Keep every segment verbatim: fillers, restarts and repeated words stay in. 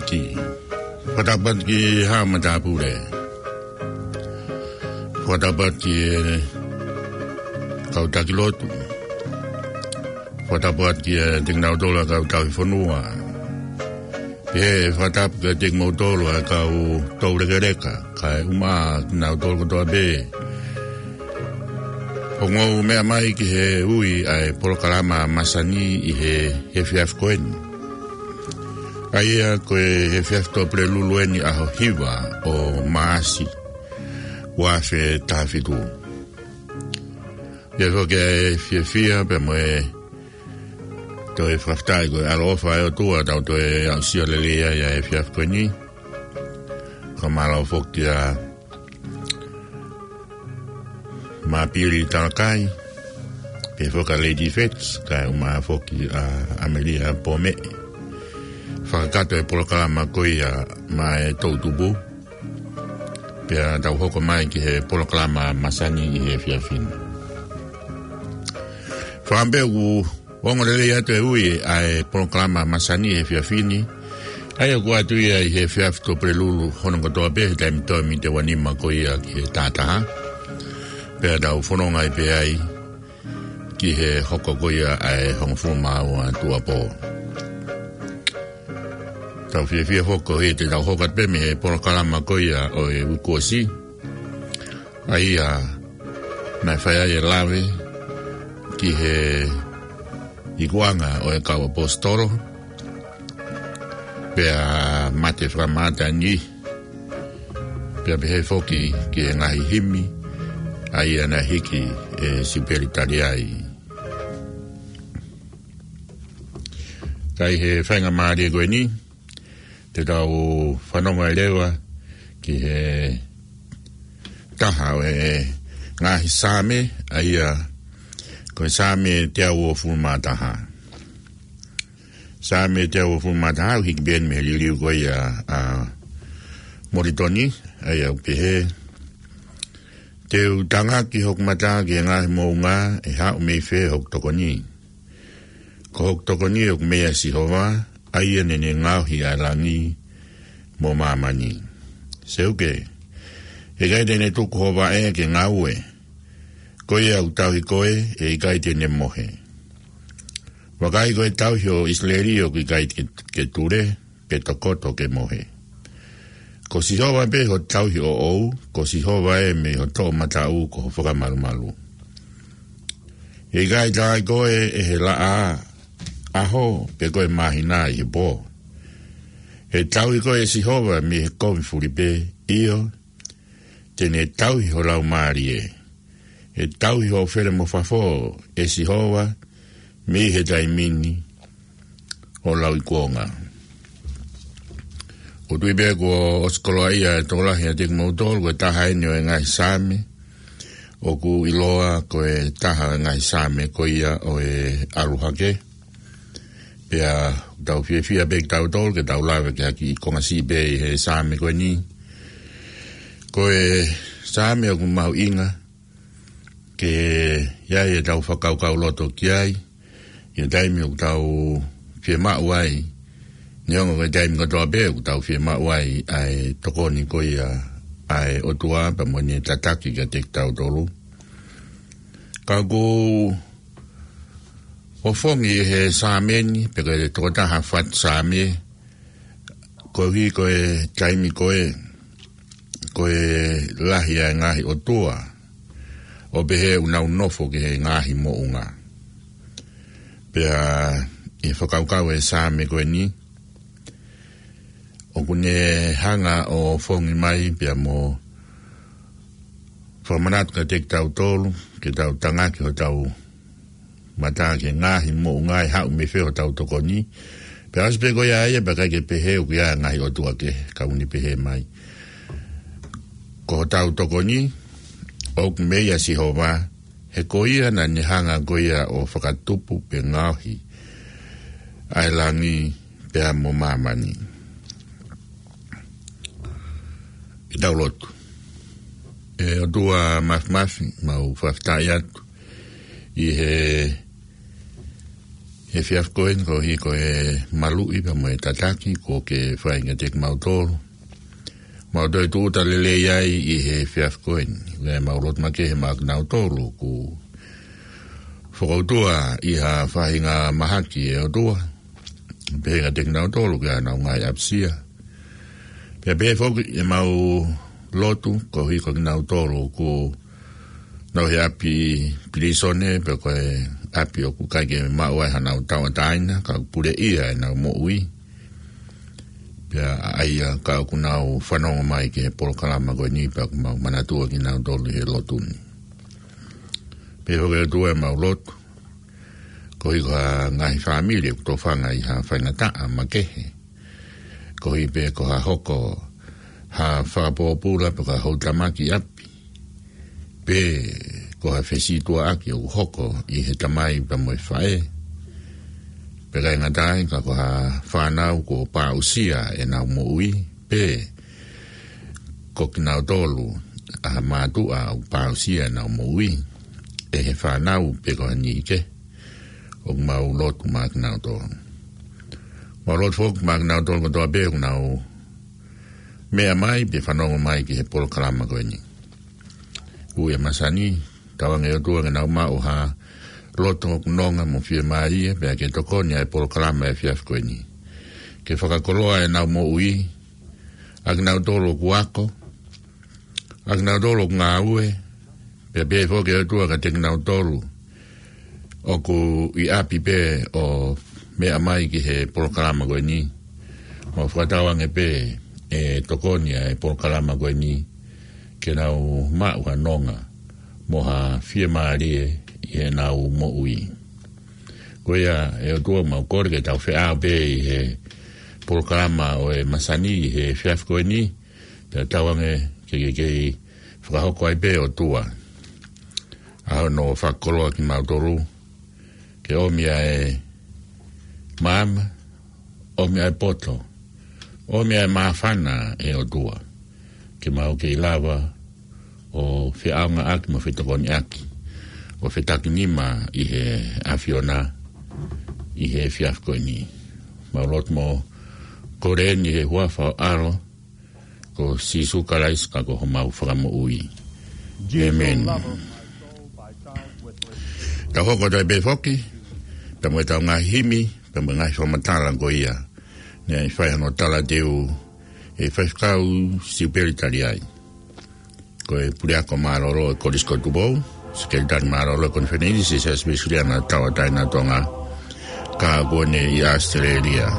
Fakatapu atu ki he haʻa matāpule. Fakatapu atu ki he kau taki lotu. Fakatapu atu kiate kinautolu ʻa e kau tauhi fonua. Pea fakatapu kiate kimoutolu ʻa e kau toulekeleka, kae ʻumaʻā kinautolu kotoa pē ʻoku mou meʻa mai ki he ui ʻa e polokalama masani ʻi he, he efiafi ko eni. ʻA ia ko e efiafi Tuʻapulelulu eni, ʻaho hiva ʻo Maʻasi, ua afe taha fitu. Pea foki ʻa e fiefia pea mo e toe fakafetaʻi ko e ʻaloʻofa ʻa e ʻOtua tau toe aʻusia lelei ai ʻa e efiafi ko eni. Ka mālō foki ʻa Mapili Talakai, pea foki ʻa Lady Fetz, kae ʻumaʻā foki ʻa ʻAmelia Pome. Fakakakato e polokalama ko ia maʻa e toʻutupu. Pea tau hoko mai ki he polokalama masani ʻi he efiafi ni. Fakaʻamu pē ʻoku ongo lelei atu e ui ʻa e polokalama masani ʻi he efiafi ni. ʻA ia ʻoku ʻoatu ia ʻi he efiafi Tuʻapulelulu hono kotoa pē he taimi toe mite ua nima ko ia ki he taha taha. Pea tau fononga ai pē ai ki he hoko ko ia ʻa e hongofulu mā ua tuʻuapō. Tau fiefia foki he te tau hoko atu pē mei he polokalama ko ia ʻo e uike kuo ʻosi. ʻA ia naʻe fai ai e lave ki he ikuʻanga ʻo e kau ʻaposetolo, pea mate fakamātani, pea pehē foki ki he ngaahi himi ʻa ia naʻe hiki ʻe Sipeli Taliai. Ka ʻi he faingamālie ko eni, te tau fanongo ai leva ki he taha ʻo e ngaahi Saame, ʻa ia ko e Saame teau uofulu mā taha. Saame teau uofulu mā taha, ʻoku hiki pē eni mei he liliu ko ia ʻa Molitoni, ʻa ia ʻoku pehē: Te u tangaki hoku mata ki he ngaahi moʻunga, ʻe haʻu mei fē hoku tokoni? Ko hoku tokoni ʻoku mei ʻia Sihova, ʻa ia naʻa ne ngaohi ʻa e langi mo māmani. Seuke, ʻe ʻikai te ne tuku ho vaʻe ke ngaue. Ko ia ʻoku tauhi koe, ʻe ʻikai te ne mohe. Vakai, ko e tauhi ʻo ʻIsileli ʻoku ʻikai ke, ke ture, pe tokoto ke mohe. Ko Sihova pē ho tauhi ʻoʻou, ko Sihova ē mei ho toʻomataʻu ko ho fakamalumalu. ʻE ʻikai taaʻi koe ʻe he laʻā ʻaho, pe ko e māhina ʻi he pō. ʻE tauhi koe ʻe Sihova mei he kovi fulipē, ʻio, te ne tauhi ho laumālie. ʻE tauhi hoʻo fele mo fafo ʻe Sihova mei he taimi ni ʻo lauikuonga. ʻOku ou tui pē kuo ʻosi koloaʻia e tokolahi ʻiate kimoutolu ko e taha eni ʻo e ngaahi Saame ʻoku ʻiloa ko e taha ʻo e ngaahi Saame ko ia ʻo e ʻalu hake. Pea tau fiefia pē kitautolu ke tau lave ki ha kiʻi konga siʻi pē ʻi he Saame ko eni. Ko e Saame ʻoku mahuʻinga ke ʻi ai ʻetau fakakaukauloto ki ai ʻi he taimi ʻoku tau fiemaʻu ai, neongo ko e taimi kotoa pē ʻoku tau fiemaʻu ai ʻa e tokoni ko ia ʻa e ʻOtua pea mo ʻene tataki kiate kitautolu. Ka ʻoku ou ʻofongi he Saame ni, pe ko e tokotaha fatu Saame, koeʻuhi ko e taimi ko ē, ko e lahi ʻa e ngaahi ʻotua ʻoku pehē ʻoku nau nofo ki he ngaahi moʻunga. Pea ʻi he fakakaukau e Saame ko eni, ʻoku ne hanga ʻo ʻofongi mai pea mo fakamanatu kiate kitautolu, ke tau tangaki hotau mata ki he ngaahi moʻunga, ʻe haʻu mei fē hotau tokoni. Pea ʻosi pē ko ia ia, pea ʻikai ke pehē ʻoku ʻi ai e ngaahi ʻotua kehe, ka ʻoku ne pehē mai, ko hotau tokoni ʻoku mei ʻia Sihova, he ko ia naʻa ne hanga ko ia ʻo fakatupu pe ngaohi ʻa e langi pea mo māmani. Ke tau lotu. ʻE ʻOtua Māfimafi, mau fakafetaʻi atu ʻi he he efiafi ko eni koeʻuhi ko e maluʻi pea mo e tataki kuo ke fai kiate kimautolu. Mau toe tūʻuta lelei ai ʻi he efiafi ko eni. Pea mau lotu makehe maʻa kinautolu kuo fokoutua ʻi ha faʻahinga mahaki ʻe ʻOtua. Pehē kiate kinautolu ki honau ngaahi ʻapasia. Pea pehē foki ʻemau lotu koeʻuhi ko kinautolu kuo nau he ʻapi pilīsone, pe ko e ʻapi ʻoku ʻikai ke maʻu ai haʻanau tauʻatāina, ka ʻoku puleʻia ʻenau moʻui. Pea ʻa ia ka ʻoku nau fanongo mai ki he polokalama ko eni pea ʻoku mau manatua kinautolu he lotu ni. Pehē foki ʻOtua ʻemau lotu koeʻuhi ko ha ngaahi fāmili ʻoku tofanga ʻi ha faingataʻa makehe. Koeʻuhi pē ko ha hoko ha fakapōpula pe ko ha houtamaki ʻapi. Pe ko ha fesītuʻaʻaki ʻoku hoko ʻi he tamai pea mo e faʻē. Pea ʻikai ngata ai ka ko ha fānau kuo pāusia ʻenau moʻui. Pe ko kinautolu ʻa ha mātuʻa ʻoku pāusia ʻenau moʻui ʻe he fānau pe ko ha niʻihi kehe. ʻOku mau lotu maʻa kinautolu. Mau lotu foki maʻa kinautolu kotoa pē ʻoku nau meʻa mai pe fanongo mai ki he polokalama ko eni. Ui e masani, tauange ʻOtua ke nau maʻu ha loto ʻoku nonga mo fiemālie, pea ke tokoni ʻa e polokalama he efiafi ko eni. Ke fakakoloa ʻenau moʻui, ʻa kinautolu ʻoku ako, ʻa kinautolu ʻoku ngāue, pea pehē foki ʻOtua kiate kinautolu ʻoku ʻi ʻapi pē ʻo meʻa mai ki he polokalama ko eni. Mau fakatauange pē ʻe tokoni ʻa e polokalama ko eni ke nau maʻu ha nonga mo ha fiemālie ʻi heʻenau moʻui. Ko ia ʻe ʻOtua mau kole ke tau feʻao pē ʻi he polokalama ʻo e masani ʻi he efiafi ko eni, pea tauange ke ke kei fakahoko ai pē ʻOtua ʻa hono fakakoloa kimautolu, ke ʻomi ʻa e maama, ʻomi ʻa e poto, ʻomi ʻa e māfana ʻe ʻOtua, ke mau kei lava ʻo feʻaongaʻaki mo fetokoniʻaki, ʻo fetakinima ʻi he ʻAfiona ʻi he efiafi ko eni. Mau lotu mo kole eni he huafa ʻo e ʻAlo ko Sīsū Kalaisi ka ko homau Fakamoʻui. ʻĒmeni. Tau hoko atu ai pē foki pea mo ʻetau ngaahi himi, pea mo e ngaahi fakamatala ko ia naʻe fai hono talateu ʻe he faifekau Siupeli Taliai. Ko e puleako mālōlō ʻo e Kolisi ko Tupou, sekelitali mālōlō ʻo e Konifelenisi ʻo e Siasi Uēsiliana Tauʻatāina ʻo Tonga, ka ʻoku ne ʻi ʻAositelēlia.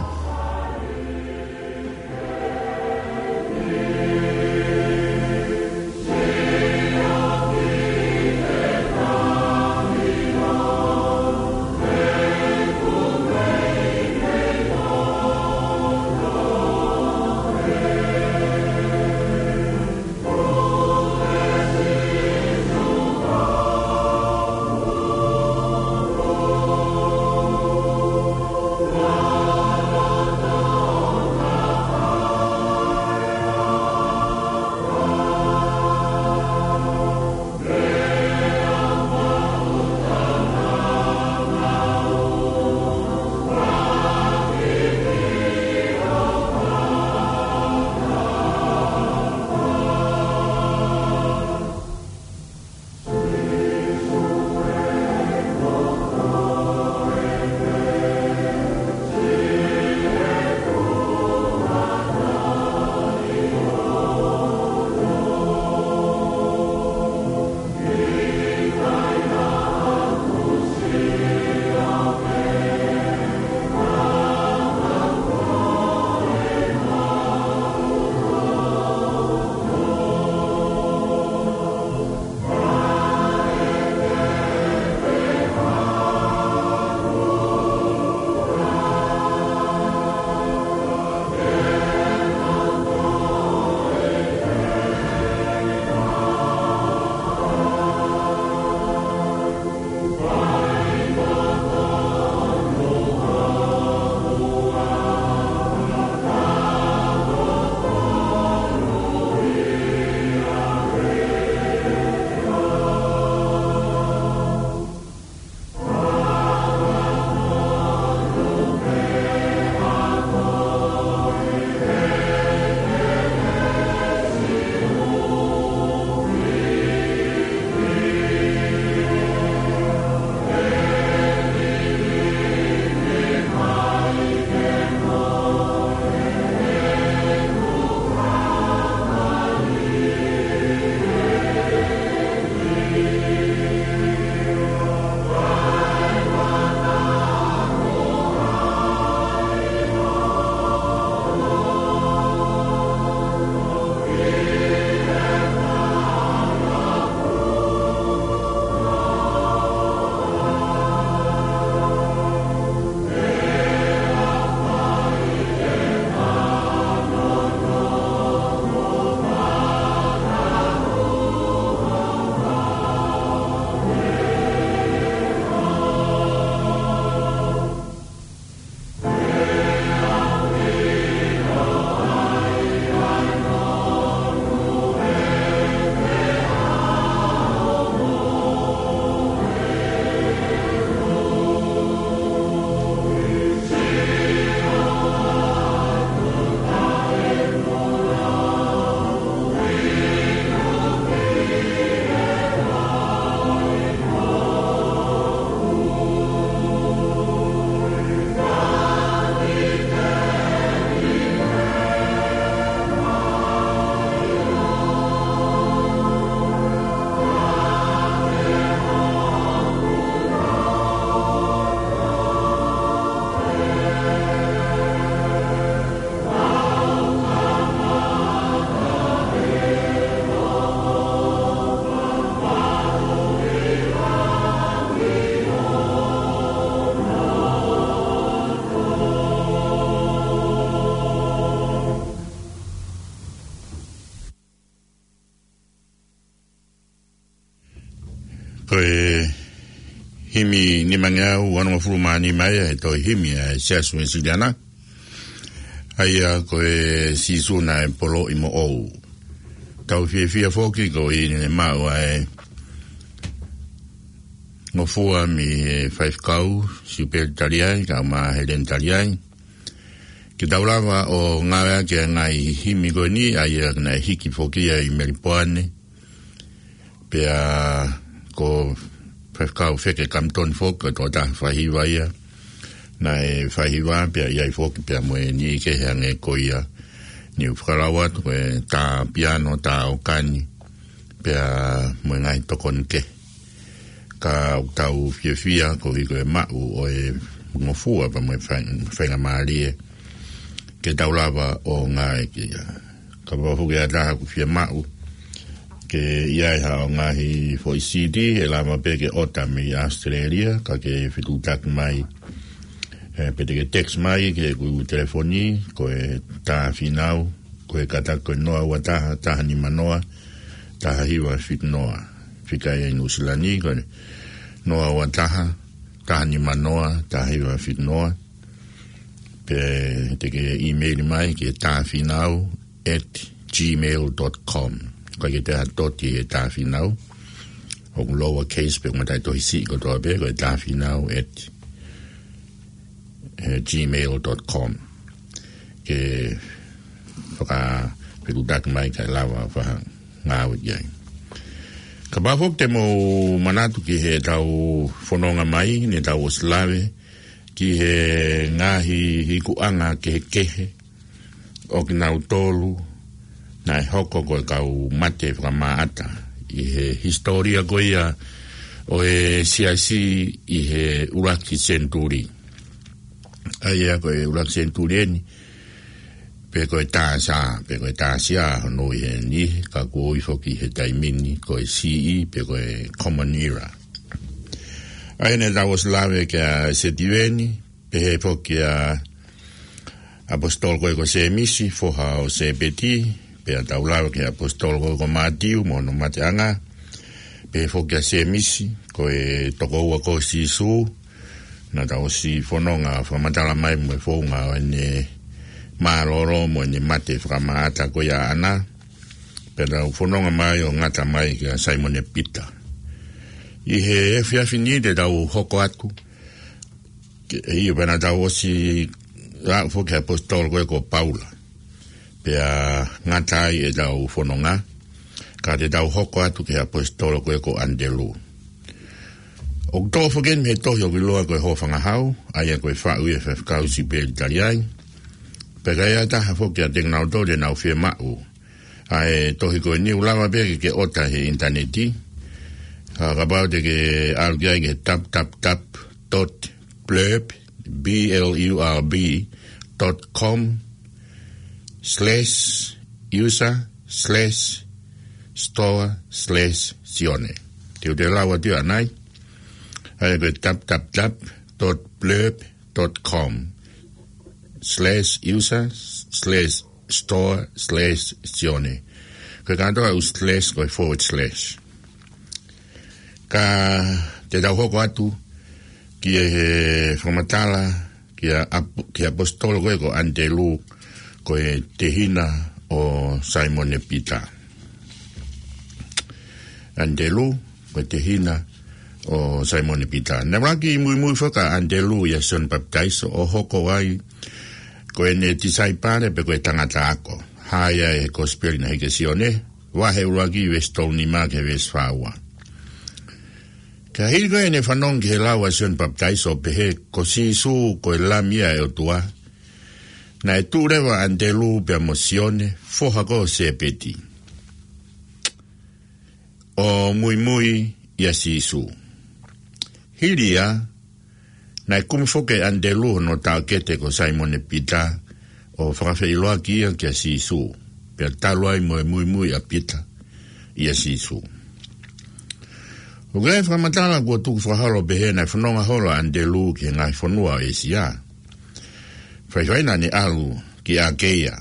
Ko e himi nimangeau uanongofulu mā nima ia he tohi himi ʻa e Siasi Uesiliana. ʻA ia ko e Sīsū naʻe poloʻi moʻou. Tau fiefia foki ko ʻene maʻu ʻa e ngofua mei he faifekau, Siupeli Taliai, kae ʻumaʻā Heleni Taliai. Ke tau lava ʻo ngāueʻaki ʻa e ngaahi himi ko eni, ʻa ia naʻe hiki foki ia ʻi Melipoane. Pea ko faifekau Feke Kamitoni foki, ko e tokotaha faihiva ia. Naʻe faihiva, pea ʻi ai foki, pea mo e niʻihi kehe hangē ko ia. Naʻa ku fakalau atu, ko e tā piano, tā ʻōkani, pea mo e ngaahi tokoni kehe. Ka ʻoku tau fiefia koeʻuhi ko e maʻu ʻo e ngofua pea mo e fai-, faingamālie ke tau lava ʻo ngāueʻaki ia. Kapau foki ʻe ʻi ai ha taha ʻoku fiemaʻu ke ʻi ai haʻo ngaahi foʻi C D, ʻe lava pē ke ʻota mei ʻAositelēlia, ka ke fetuʻutaki mai, ē, pe te ke text mai ki heʻeku telefoni, ko e tā fīnau, ko e kātaki ko e noa ua taha, taha nima noa, taha hiva fitu noa. Fika ia ʻi Nuʻusila ni, ko e noa ua taha, taha nima noa, taha hiva fitu noa. Pe te ke email mai ki he tāfīnau at gmail dot com. Ko e ke te ha toti he tāfīnau. ʻOku lower case pe ʻoku ngata ʻi he tohi siʻi kotoa pē, ko e tāfīnau at, eh, gmail dot com. Ke fakafetuʻutaki mai kae lava ʻo fakangāueʻaki ai. Kapau foki te mou manatu ki heʻetau fononga mai, naʻa tau ʻosi lave ki he ngaahi ikuʻanga kehekehe ʻo kinautolu naʻe hoko ko e kau mate fakamaʻata ʻi he hisitōlia ko ia ʻo e Siasi ʻi he ʻuluaki senituli. ʻA ia ko e ʻuluaki senituli eni, pe ko e tā C E, pe ko e tā C E hono ui heni, ka kuo ui foki he taimi ni ko e C E, pe ko e Common Era. ʻA ia naʻa tau ʻosi lave kia Setiveni, pehē foki kia ʻaposetolo ko ē ko Sēmisi, foha ʻo Sēpeti, pea tau lave ki he ʻaposetolo ko ē ko Mātiu mo hono mateʻanga, pehē foki kia Sēmisi, ko e tokoua ko Sīsū, naʻa tau ʻosi fononga fakamatala mai mo e founga ʻo ʻene mālōlō mo ʻene mate fakamaʻata ko ia ʻaʻana, pea tau fononga mai ʻo ngata mai kia Saimone Pita. ʻI he efiafi ni te tau hoko atu, ke, ʻio pea naʻa tau ʻosi lau foki he ʻaposetolo ko ē ko Paula. Pea ngata ai ʻetau fononga, ka te tau hoko atu ki he ʻaposetolo ko ē ko ʻAnitelū. ʻOku toʻo foki eni mei he tohi ʻoku ʻiloa ko e Hōfangahau, ʻa ia ko e faʻu ia ʻe he faifekau Siupeli Taliai. Pea ka ʻi ai ha taha foki ʻiate kinautolu te nau fiemaʻu ʻa e tohi ko eni, ʻoku lava pē ke ke ʻota he ʻinitaneti. Ka kapau te ke ʻalu ki ai ki he tap tap tap dot blurb, B L U R B, dot com slash user slash store slash Sione. Te u toe lau atu ia ʻanai. ʻA ia ko e tap tap tap dot blurb dot com slash user slash store slash Sione. Ko e kātoa ʻū slash ko e forward slash. Ka te tau hoko atu ki he fakamatala ki he ʻap-, ki he ʻaposetolo ko ē ko ʻAnitelū, ko e tehina ʻo Saimone Pita. ʻAnitelū, ko e tehina ʻo Saimone Pita. Naʻe ʻuluaki muimui foki ʻa ʻAnitelū ʻia Sione Papitaiso ʻo hoko ai ko ʻene tisaipale pe ko e tangata ako. Hā ia ʻi he Kosipeli naʻe hiki ʻe Sione, vahe ʻuluaki veesi tolu nima ki he veesi fā ua. Ka hili ko ē ʻene fanongo ki he lau ʻa Sione Papitaiso ʻo pehē ko Sīsū ko e Lami ia ʻa e ʻOtua, naʻe tuʻu leva ʻa ʻAnitelū pea mo Sione, foha ko ē ʻo Sēpeti, ʻo muimui ʻia Sīsū. Hili ia, naʻe kumi foki ʻe ʻAnitelū hono taʻokete ko Saimone Pita ʻo fakafeʻiloaki ia kia Sīsū, pea talu ai mo e muimui ʻa Pita ʻia Sīsū. ʻOku ʻi ai e fakamatala kuo tuku fakaholo ʻo pehē naʻe fononga holo ʻa ʻAnitelū ki he ngaahi fonua ʻo ʻĒsia. Faifai naʻa ne ʻalu ki ʻAkeia.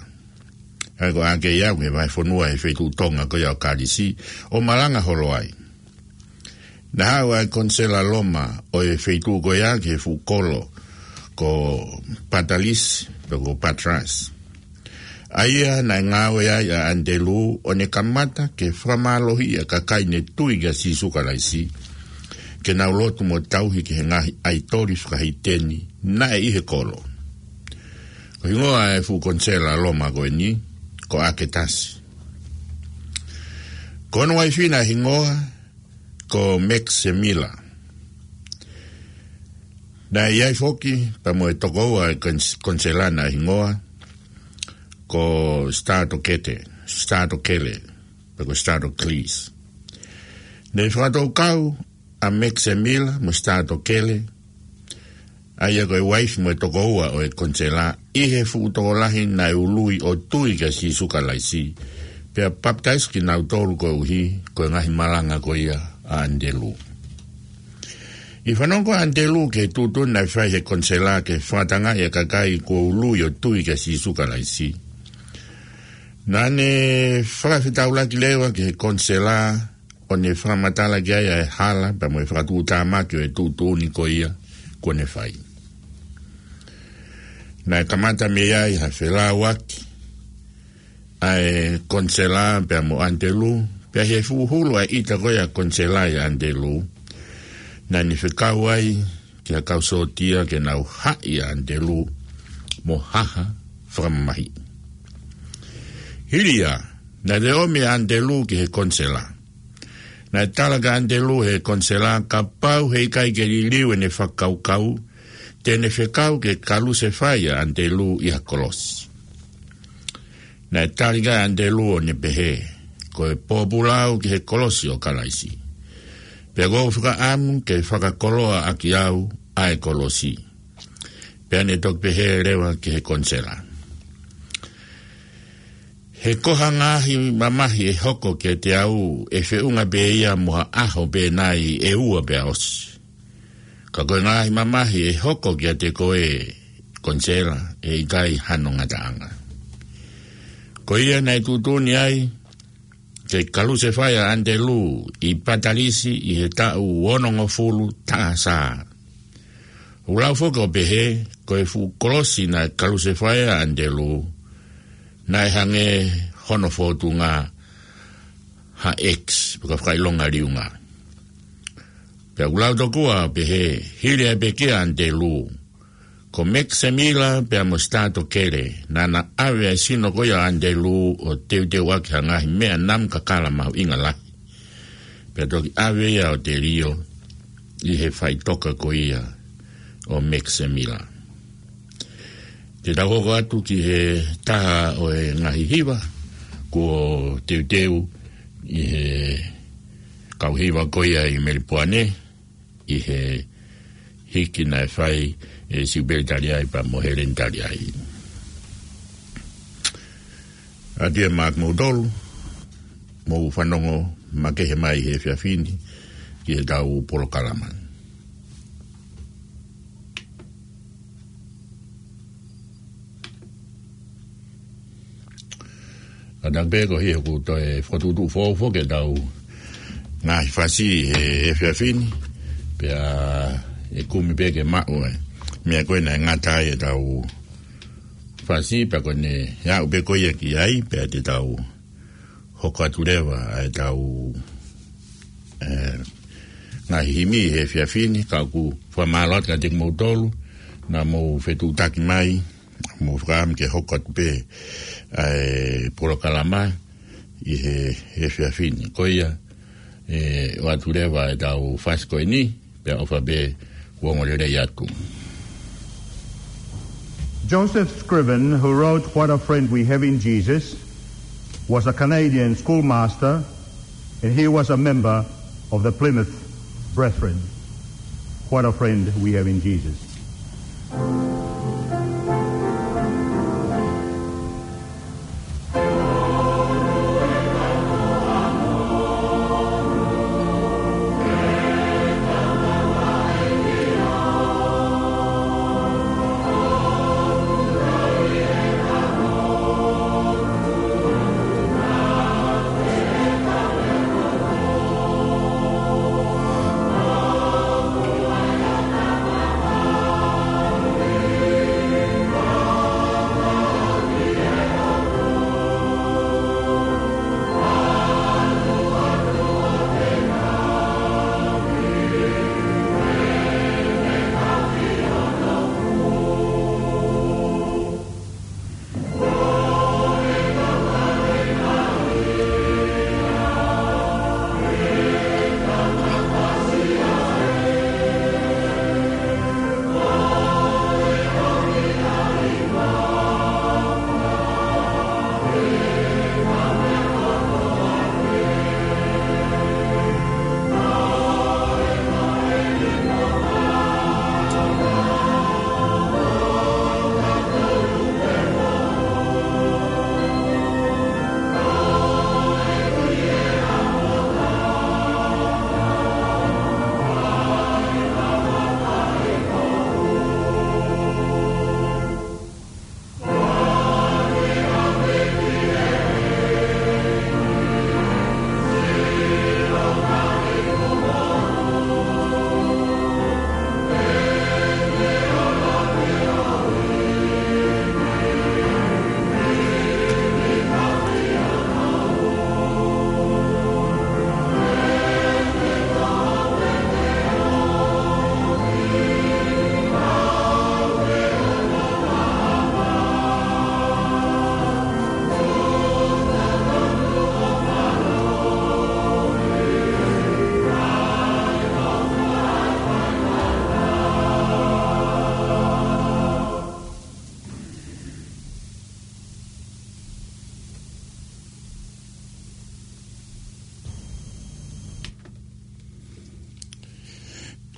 ʻA ia ko ʻAkeia ko e vahefonua he feituʻu tonga ko ia ʻo Kalisi, ʻo malanga holo ai. Naʻe haʻu ʻa e Konisela Loma ʻo e feituʻu ko ia ki he fuʻu kolo ko Patalisi, pe ko Patras. ʻA ia naʻe ngāue ai ʻa ʻAnitelū ʻo ne kamata ke fakamālohiʻi ʻa e kakai ne tui kia Sīsū Kalaisi, ke nau lotu mo tauhi ki he ngaahi ʻaitoli fakaheiteni naʻe ʻi he kolo. Ko e hingoa ʻo e fuʻu Konisela Loma ko eni, ko ʻAketasi. Ko hono uaifi naʻe hingoa ko Meksemila. Naʻe ʻi ai foki pea mo e tokoua ʻo e Konis-, Konisela naʻe hingoa ko Statokete, Statokele, pe ko Statoklis. Ne fakatoukau ʻa Meksemila mo Statokele, ʻa ia ko e uaifi mo e tokoua ʻo e Konisela, ʻi he fuʻu tokolahi naʻe ului ʻo tui kia Sīsū Kalaisi, pea papitaiso kinautolu koeʻuhi ko e ngaahi malanga ko ia ʻa ʻAnitelū. ʻI he fanongo ʻa ʻAnitelū ki he tuʻutuʻuni naʻe fai ʻe he Konisela ke fakatangaʻi ʻa e kakai kuo ului ʻo tui kia Sīsū Kalaisi, naʻa ne fakafetaulaki leva ki he Konisela ʻo ne fakamatala ki ai ʻa e hala pea mo e fakatuʻutāmaki ʻo e tuʻutuʻuni ko ia kuo ne fai. Naʻe kamata mei ai ha felāuaki ʻa e Konisela pea mo ʻAnitelū, pea ʻi he fuʻu hulu ʻa e ʻita ko ia ʻa e Konisela ʻia ʻAnitelū, naʻa ne fekau ai ki he kau sōtia ke nau haʻi ʻa ʻAnitelū mo haha fakamamahiʻi. Hili ia, naʻe toe ʻomi ʻa ʻAnitelū ki he Konisela. Naʻe tala kia ʻAnitelū ʻe he Konisela kapau heʻikai ke liliu ʻene fakakaukau, te ne fekau ke kalusefai ʻa ʻAnitelū ʻi ha kolosi. Naʻe tali ʻe ʻAnitelū ʻo ne pehē, ko e pōpula au ki he kolosi ʻo Kalaisi. Pea ʻoku ou fakaʻamu ke fakakoloa ʻaki au ʻa e kolosi. Pea ne toki pehē leva ki he Konisela, he ko ha ngaahi mamahi ʻe hoko kiate au ʻe feʻunga pē ia mo ha ʻaho pē nai ʻe ua pea ʻosi. Ka ko e ngaahi mamahi ʻe hoko kiate koe, Konisela, ʻe ʻikai hano ngataʻanga. Ko ia naʻe tuʻutuʻuni ai ke kalusefai ʻa ʻAnitelū ʻi Patalisi ʻi he taʻu onongofulu taha S.A. ʻOku lau foki ʻo pehē, ko e fuʻu kolosi naʻe kalusefai ai ʻa ʻAnitelū, naʻe hangē hono fōtunga ha X, pe ko e fakaʻilonga liunga. Pea ʻoku lau tokua ʻo pehē, hili ʻa e pekia ʻa ʻAnitelū, ko Meksemila pea mo Statokele, naʻa na ʻave ʻa e sino ko ia ʻo ʻAnitelū ʻo teuteuʻaki ha ngaahi meʻa namu kakala mahuʻinga lahi. Pea toki ʻave ia ʻo telio ʻi he faʻitoka ko ia ʻo Meksemila. Te tau hoko atu ki he taha ʻo e ngaahi hiva kuo teuteu ʻe he kau hiva ko ia ʻi Melipoane, ʻi he hiki naʻe fai ʻe Siupeli Taliai pea mo Heleni Taliai. ʻAtā ia maʻa kimoutolu, mou fanongo makehe mai he efiafi ni ki heʻetau polokalama. ʻAtā pē ko ia ʻoku toe fokotuʻutuʻu foʻou foki ʻetau ngaahi fasi he efiafi ni, pea ʻe kumi pē ke maʻu ʻa e meʻa ko ē naʻe ngata ai ʻetau fasi, pea ko ʻene aʻu pē ko ia ki ai, pea te tau hoko atu leva ʻa ʻetau, ē, ngaahi himi he efiafi ni, ka ʻoku fakamālō atu kiate kimoutolu naʻa mou fetuʻutaki mai, mou fakaʻamu ke hoko atu pē ʻa e polokalama ʻi he, he efiafi ni. Ko ia, ē, ʻoatu leva ʻetau fasi ko eni, pea ʻofa pē kuo ongo lelei atu. Joseph Scriven, who wrote What a Friend We Have in Jesus, was a Canadian schoolmaster, and he was a member of the Plymouth Brethren. What a friend we have in Jesus.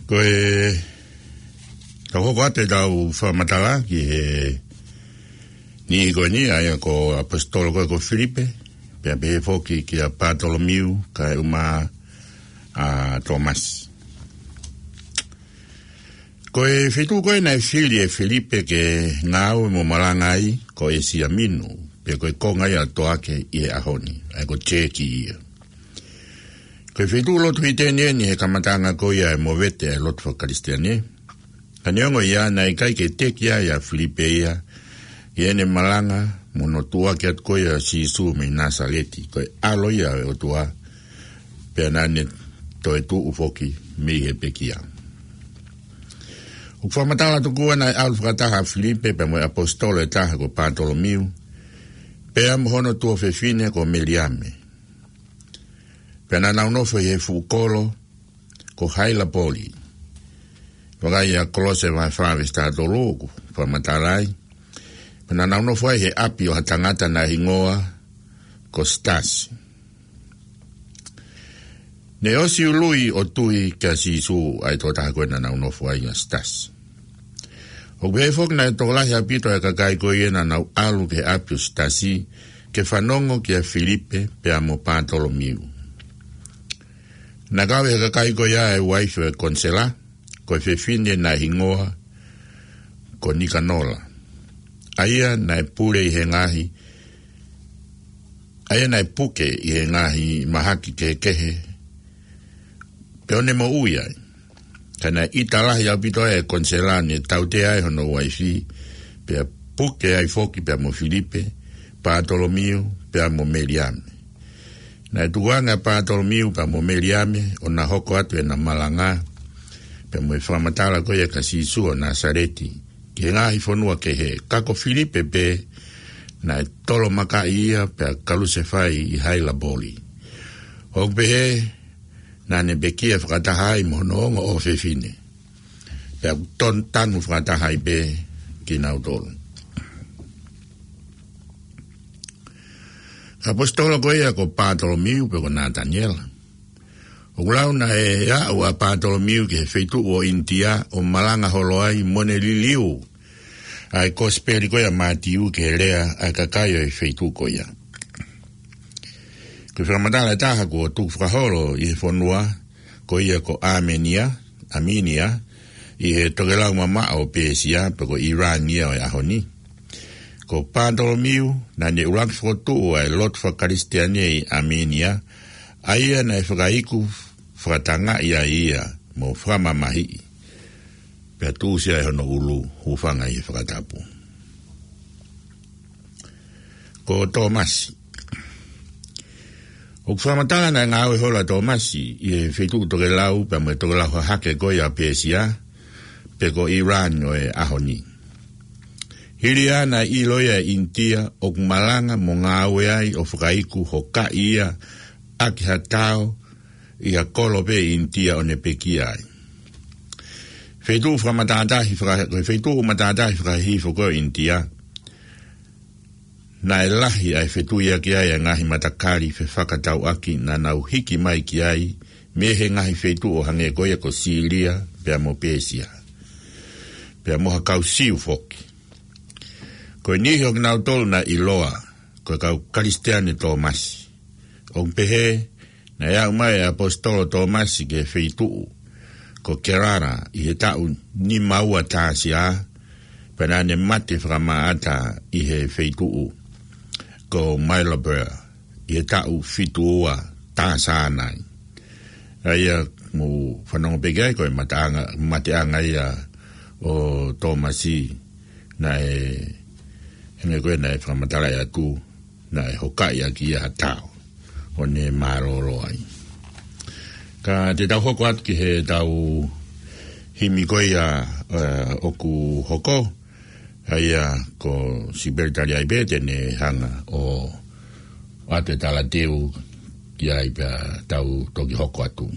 Ko e tau hoko atu ʻetau fakamatala ki he niʻihi ko eni, ʻa ia ko e ʻaposetolo ko ē ko Filipe, pea pehē foki kia Pātolomiu, kaeʻumaʻā ʻa Tōmasi. Ko e feituʻu ko ē naʻe fili ʻe Filipe ke ngāue mo malanga ai ko ʻĒsia Minu, pea ko e konga ia ʻo Toake ʻi he ʻaho ni, ʻa ia ko Teki ia. Ko e feituʻu lotu Hiteni eni he kamataʻanga ko ia e movete e lotu faka-Kalisitiane. Ka neongo ia, naʻe ʻikai ke teʻeki ai ʻa Filipe ia ʻi heʻene malanga mo hono tuʻuaki atu ko ia ʻo Sīsū mei Nāsaleti, ko e ʻAlo ia ʻo e ʻOtua, pea naʻa ne toetuʻu foki mei he pekia. ʻOku fakamatala atu kuo naʻe ʻalu fakataha ʻa Filipe pea mo e ʻaposetolo ʻe taha ko Pātolomiu, pea mo hono tuofefine ko Meliame. Pea naʻa nau nofo ʻi he fuʻu kolo ko Hailapoli. Vakai ʻa Kolose vahe fā veesi taha tolu ʻoku fakamatala ai. Pea naʻa nau nofo ai he ʻapi ʻo ha tangata naʻe hingoa ko Sitasi. Ne ʻosi ului ʻo tui kia Sīsū ʻa e tokotaha ko ē naʻa nau nofo ai, ʻa Sitasi. ʻOku pehē foki naʻe tokolahi ʻaupito ʻa e kakai ko ia naʻa nau ʻalu ki he ʻapi ʻo Sitasi ke fanongo kia Filipe pea mo Pātolomiu. Naʻe kau ʻi he kakai ko ia e uaifi ʻo e konisela, ko e fefine naʻe hingoa ko Nikanola, ʻa ia naʻe pule ʻi he ngaahi, ʻa ia naʻe puke ʻi he ngaahi mahaki kehekehe, pea ʻo ne moʻui ai. Ka naʻe ʻita lahi ʻaupito ʻa e konisela, ne tautea ai hono uaifi, pea puke ai foki pea mo Filipe, Pātolomiu pea mo Meliame. Naʻe tukuange ʻa Pātolomiu pea mo Meliame ʻo na hoko atu ʻena malanga pea mo e fakamatala ko ia kia Sīsū ʻo Nāsaleti ki he ngaahi fonua kehe, ka ko Filipe pē naʻe tolomakaʻi ia pea kalusefai ʻi Hailapoli. ʻOku pehē naʻa ne pekia fakataha ai mo hono ongo ʻofefine, pea ʻoku ton-, tanu fakataha ai pē kinautolu. Ko e ʻaposetolo ko ia ko Pātolomiu pe ko Nataniela. ʻOku lau naʻe aʻu ʻa Pātolomiu ki he feituʻu ʻo ʻInitia ʻo malanga holo ai mo ne liliu ʻa e kosipeli ko ia ʻa Mātiu ki he lea ʻa e kakai ʻo e feituʻu ko ia. Ko e fakamatala ʻe taha kuo tukufakaholo ʻi he fonua ko ia ko ʻAmenia, ʻAminia, ʻi he tokelau mamaʻo ʻo Pēsia, pe ko ʻIlani ia ʻo e ʻaho ni. Ko Pātolomiu, naʻa ne ʻuluaki fokotuʻu ʻa e lotu faka-Kalisitiane ʻi ʻAmenia, ʻa ia naʻe fakaiku fakatangaʻi ai ia mo fakamamahiʻi, pea tuʻusi ai hono ʻulu, hūfanga ʻi he fakatapu. Ko Tōmasi. ʻOku fakamatala naʻe ngāue holo ʻa Tōmasi ʻi he feituʻu tokelau pea mo e tokelau hahake ko ia ʻa Pēsia, pe ko ʻIlani ʻo e ʻaho ni. Hili ia naʻe ʻilo ia ʻe ʻInitia ʻoku malanga mo ngāue ai ʻo fakaiku hokaʻi ia ʻaki ha tao ʻi ha kolo pē ʻi ʻInitia ʻo ne pekia ai. Feituʻu fakamatātahi faka-, ko e feituʻu matātahi fakahihifo ko ē ʻo ʻInitia, naʻe lahi ʻa e fetuiaki ai ʻa e ngaahi matakali fefakatauʻaki naʻa nau hiki mai ki ai mei he ngaahi feituʻu ʻo hangē ko ia ko Sīlia pea mo Pēsia, pea mo ha kau Siu foki. Ko e niʻihi ʻo kinautolu naʻe ʻiloa ko e kau Kalisitiane Tōmasi. ʻOku pehē naʻe aʻu mai ʻa e ʻaposetolo Tōmasi ki he feituʻu ko Kerala ʻi he taʻu nima ua tāsiā, pea naʻa ne mate fakamaʻata ʻi he feituʻu ko Maribor ʻi he taʻu fitu ua tāsiā nai. ʻA ia mou fanongo pē ki ai, ko e mateʻanga, mateʻanga ia ʻo Tōmasi, naʻe, hangē ko ē naʻe fakamatalaʻi atu, naʻe hokaʻi ʻaki ia ha tao ʻo ne mālōlō ai. Ka te tau hoko atu ki heʻetau himi ko ia, ē, ʻoku hoko, ʻa ia ko Sipeli Taliaipe te ne hanga ʻo ʻoatu e talateu ki ai pea tau toki hoko atu.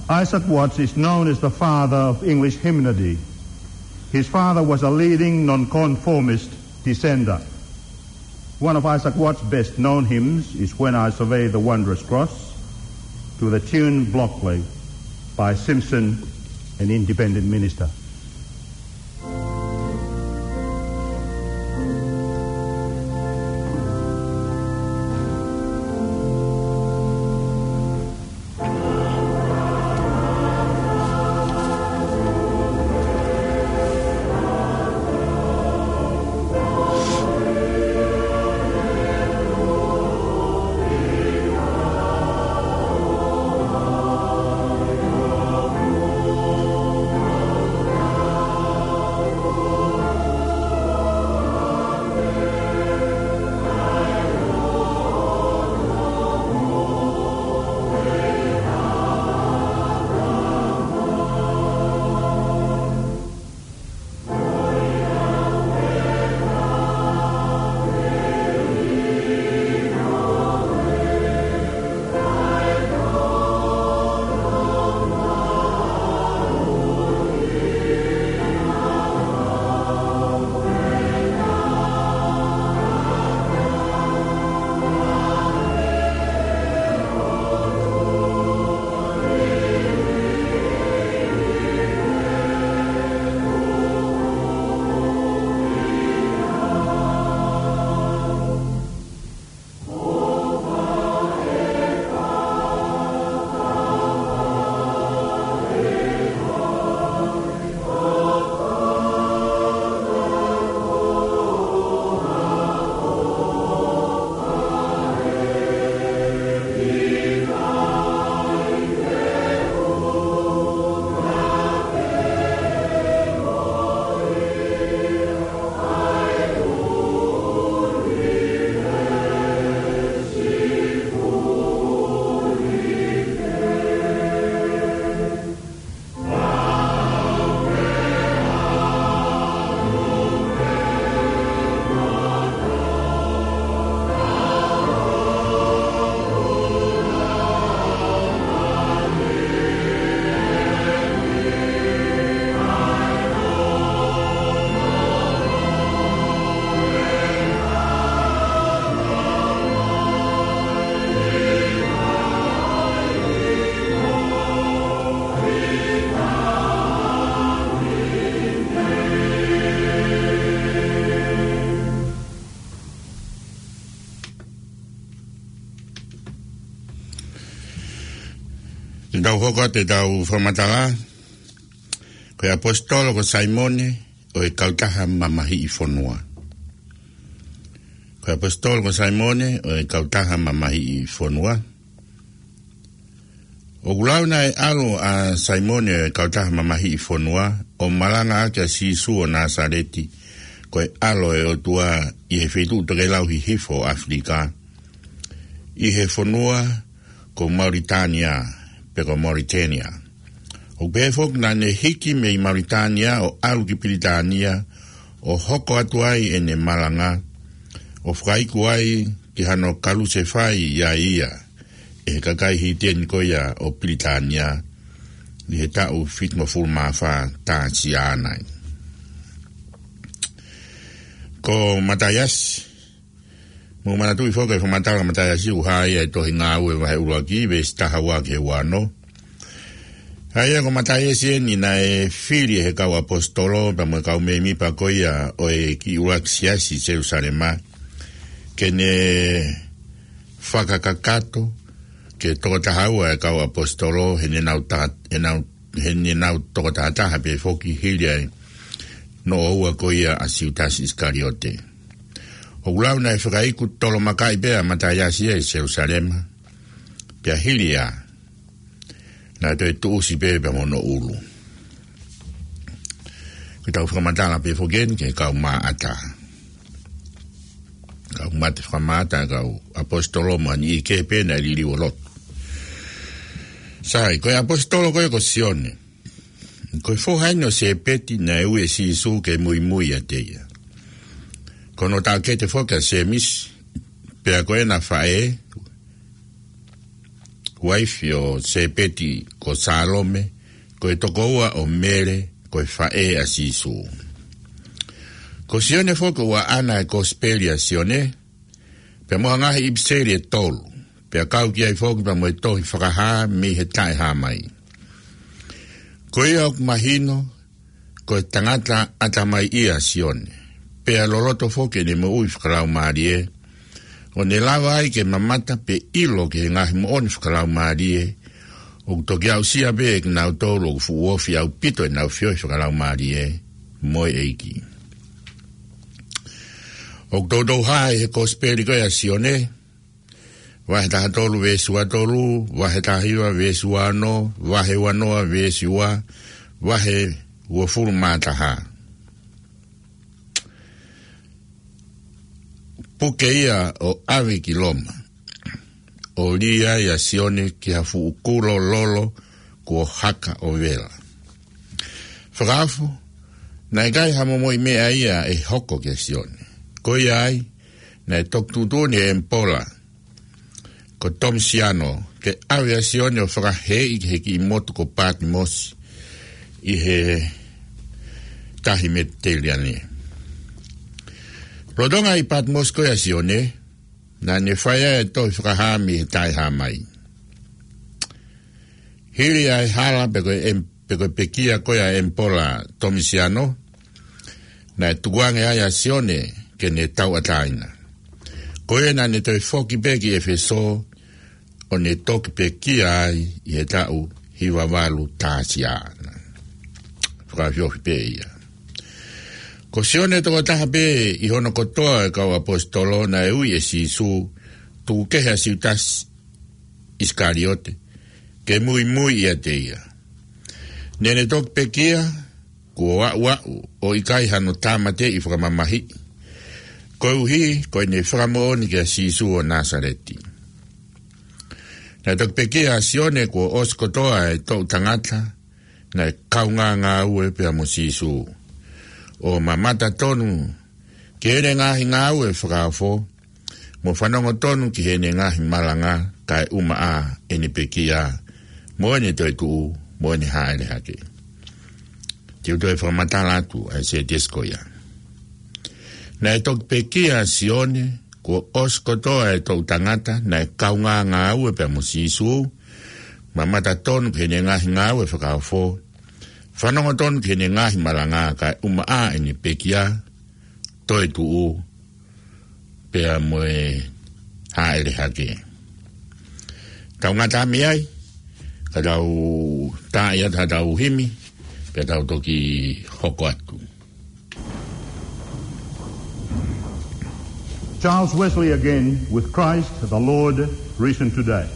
Isaac Watts is known as the father of English hymnody. His father was a leading nonconformist dissenter. One of Isaac Watts' best known hymns is When I Survey the Wondrous Cross, to the tune Blockley by Simpson, an independent minister. Te tau hoko atu ʻetau fakamatala. Ko e ʻaposetolo ko Saimone ʻo e Kautaha Mamahiʻi Fonua. Ko e ʻaposetolo ko Saimone ʻo e Kautaha Mamahiʻi Fonua. ʻOku lau naʻe ʻalu ʻa Saimone ʻo e Kautaha Mamahiʻi Fonua ʻo malanga ʻaki ʻa Sīsū ʻo Nāsaleti, ko e ʻAlo ʻo e ʻOtua, ʻi he feituʻu tokelau hihifo ʻo ʻAfilika, ʻi he fonua ko Mauritānia, pe ko Mauritania. ʻOku pehē foki naʻa ne hiki mei Mauritānia ʻo ʻalu ki Pilitānia, ʻo hoko atu ai ʻene malanga, ʻo fakaiku ai ki hano kalusefai ʻa ia ʻe he kakai hīteni ko ia ʻo Pilitānia, ʻi he taʻu fitungofulu mā fā tā siana. Ko Mataiasi, mou manatuʻi foki e fakamatala ʻa Mataiasi ʻoku hā ia ʻi he tohi Ngāue vahe ʻuluaki, veesi taha ua ki he ua ono. ʻA ia ko Mataiasi eni naʻe fili ʻe he kau ʻaposetolo pea mo e kau mēmipa ko ia ʻo e kiʻi ʻuluaki siasi ʻi Selusalema, ke ne fakakakato ke toko taha ua e kau ʻaposetolo, he naʻa nau ta-, he naʻa nau, he naʻa nau toko taha taha pē foki hili ʻa e noʻo ua ko ia ʻa Siutasi ʻIsikaliote. ʻOku lau naʻe fakaiku tolomakaʻi pē ʻa Mataiasi ia ʻi Selusalema, pea hili ia naʻe toe tuʻusi pē pea mo hono ʻulu. Ko ʻetau fakamatala pē foki eni ki he kau maʻata. Kau mate fakamaʻata, kau ʻaposetolo mo ha niʻihi kehe pē naʻe liliu ʻo lotu. Sai, ko e ʻaposetolo ko ē ko Sione, ko e foha eni ʻo Sēpeti naʻe ui ʻe Sīsū ke muimui ʻiate ia. Ko hono taʻokete foki ʻa Sēmisi, pea ko ʻena faʻē, uaifi ʻo Sēpeti, ko Sālome, ko e tokoua ʻo Mele, ko e faʻē ʻa Sīsū. Ko Sione foki ʻoku ʻaʻana e Kosipeli ʻa Sione, pea mo e ngaahi ʻipiseli ʻe tolu, pea kau ki ai foki pea mo e tohi Fakahā mei he Taʻehāmai. Ko ia ʻoku mahino, ko e tangata ʻatamai ia ʻa Sione, pea loloto foki ʻene moʻui fakalaumālie, ʻo ne lava ai ke mamata pe ʻilo ki he ngaahi moʻoni fakalaumālie ʻoku toki aʻusia pē ʻe kinautolu ʻoku fuʻu ofi ʻaupito ʻenau feohi fakalaumālie mo e ʻEiki. ʻOku toutou hā ʻi he Kosipeli ko ia ʻa Sione, vahe taha tolu veesi ua tolu, vahe taha hiva veesi ua ono, vahe ua noa veesi ua, vahe uofulu mā taha. Puke ia ʻo ʻave ki Loma, ʻo lī ai ʻa Sione ki ha fuʻu kulo lolo kuo haka ʻo vela. Fakaofo, naʻe ʻikai ha momoʻi meʻa ia ʻe hoko kia Sione. Ko ia ai, naʻe toki tuʻutuʻuni ʻe he ʻEmipola ko Tomisiano ke ʻave ʻa Sione ʻo fakahēʻi ki he kiʻi motu ko Patimosi ʻi he tahi Metiteleniane. Lolotonga ʻi Patimosi ko ia ʻa Sione, naʻa ne fai ai e tohi Fakahā mei he Taʻehāmai. Hili ʻa e hala pe ko e ʻem-, pe ko e pekia ko ia ʻa e ʻEmipola Tomisiano, naʻe tukuange ai ʻa Sione ke ne tauʻatāina. Ko ia naʻa ne toe foki pē ki ʻEfesō, ʻo ne toki pekia ai ʻi he taʻu hiva valu taha sia. Fakaofiofi pē ia. Ko Sione tokotaha pē ʻi hono kotoa e kau ʻaposetolo naʻe ui ʻe Sīsū, tuku kehe ʻa Siutasi ʻIsikaliote, ke muimui ʻiate ia. Naʻa ne toki pekia, kuo aʻuaʻu, ʻo ʻikai hano tāmateʻi fakamamahiʻi, koeʻuhi ko ʻene fakamoʻoni kia Sīsū ʻo Nāsaleti. Naʻe toki pekia ʻa Sione kuo ʻosi kotoa e toʻu tangata naʻe kaungā ngāue pea mo Sīsū, ʻo mamata tonu ki heʻene ngaahi ngāue fakaofo, mo fanongo tonu ki heʻene ngaahi malanga, kae ʻumaʻā ʻene pekia, mo ʻene toetuʻu, mo ʻene hāʻele hake. Te u toe fakamatala atu ʻa e sētesi ko ia. Naʻe toki pekia ʻa Sione kuo ʻosi kotoa e toʻu tangata naʻe kaungā ngāue pea mo Sīsū, mamata tonu ki heʻene ngaahi ngāue fakaofo, fanongo tonu ki heʻene ngaahi malanga, kae ʻumaʻā ʻene pekia, toetuʻu, pea mo e hāʻele hake. Tau ngata mei ai, ka tau tā ia, tā tau himi, pea tau toki hoko atu. Charles Wesley again with Christ the Lord risen today.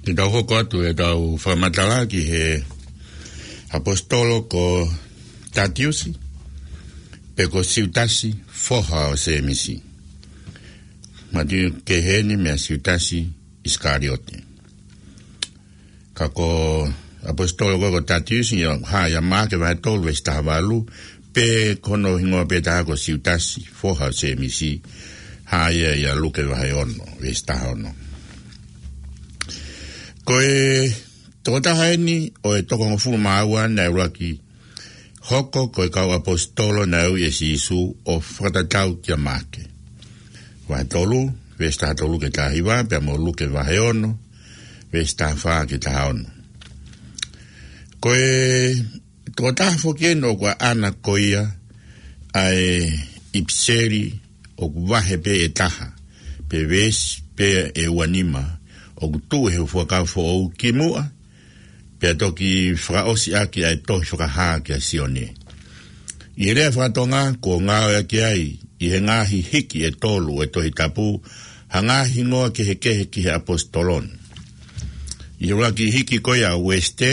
Te tau hoko atu ʻetau fakamatala ki he ʻaposetolo ko Tatiusi, pe ko Siutasi, foha ʻo Sēmisi. Mātiu kehe eni meia Siutasi ʻIsikaliote. Ka ko e ʻaposetolo ko, ko Tatiusi, ʻoku hā ia ʻia Maʻake vahe tolu veesi taha valu, pea ko hono hingoa pē taha ko Siutasi, foha ʻo Sēmisi, hā ia ʻia Luke vahe ono, veesi taha ono. Ko e tokotaha eni ʻo e toko hongofulu mā ua naʻe ʻuluaki hoko ko e kau ʻaposetolo naʻe ui ʻe Sīsū ʻo fakatatau kia Maʻake vahe tolu, veesi taha tolu ki he taha hiva, pea mo Luke vahe ono, veesi taha fā ki he taha ono. Ko e tokotaha foki eni ʻoku ʻaʻana ko ia ʻa e ʻipiseli ʻoku vahe pē ʻe taha, pe veesi pē ʻe ua nima, ʻoku tuʻu he Fuakava Foʻou kimuʻa, pea toki fakaʻosi ʻaki ʻa e tohi Fakahā kia Sione. ʻI he lea faka-Tonga, kuo ngāueʻaki ai ʻi he ngaahi hiki ʻe tolu ʻo e Tohi Tapu ha ngaahi hingoa kehekehe ki he ʻaposetolo ni. ʻI he ʻuluaki hiki ko ia ʻa Uesite,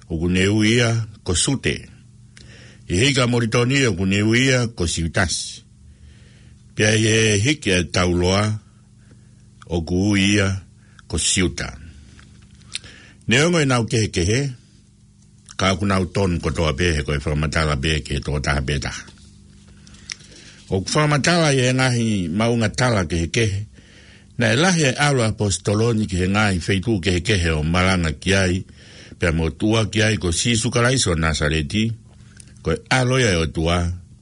ʻoku ne ui ia ko Sute. ʻI he hiki ʻa Molitoni, ʻoku ne ui ia ko Siutasi. Pea ʻi he hiki ʻa Tauloa, ʻoku ui ia ko Siuta. Neongo ʻenau kehekehe, ka ʻoku nau tonu kotoa pē he ko e fakamatala pē ki he tokotaha pē taha. ʻOku fakamatala ʻi he ngaahi maʻuʻanga tala kehekehe, naʻe lahi ʻa e ʻalu ʻa e ʻaposetolo ni ki he ngaahi feituʻu kehekehe ʻo malanga ki ai, pea mo tuʻuaki ai ko Sīsū Kalaisi ʻo Nāsaleti, ko e ʻAlo ia ʻo e ʻOtua,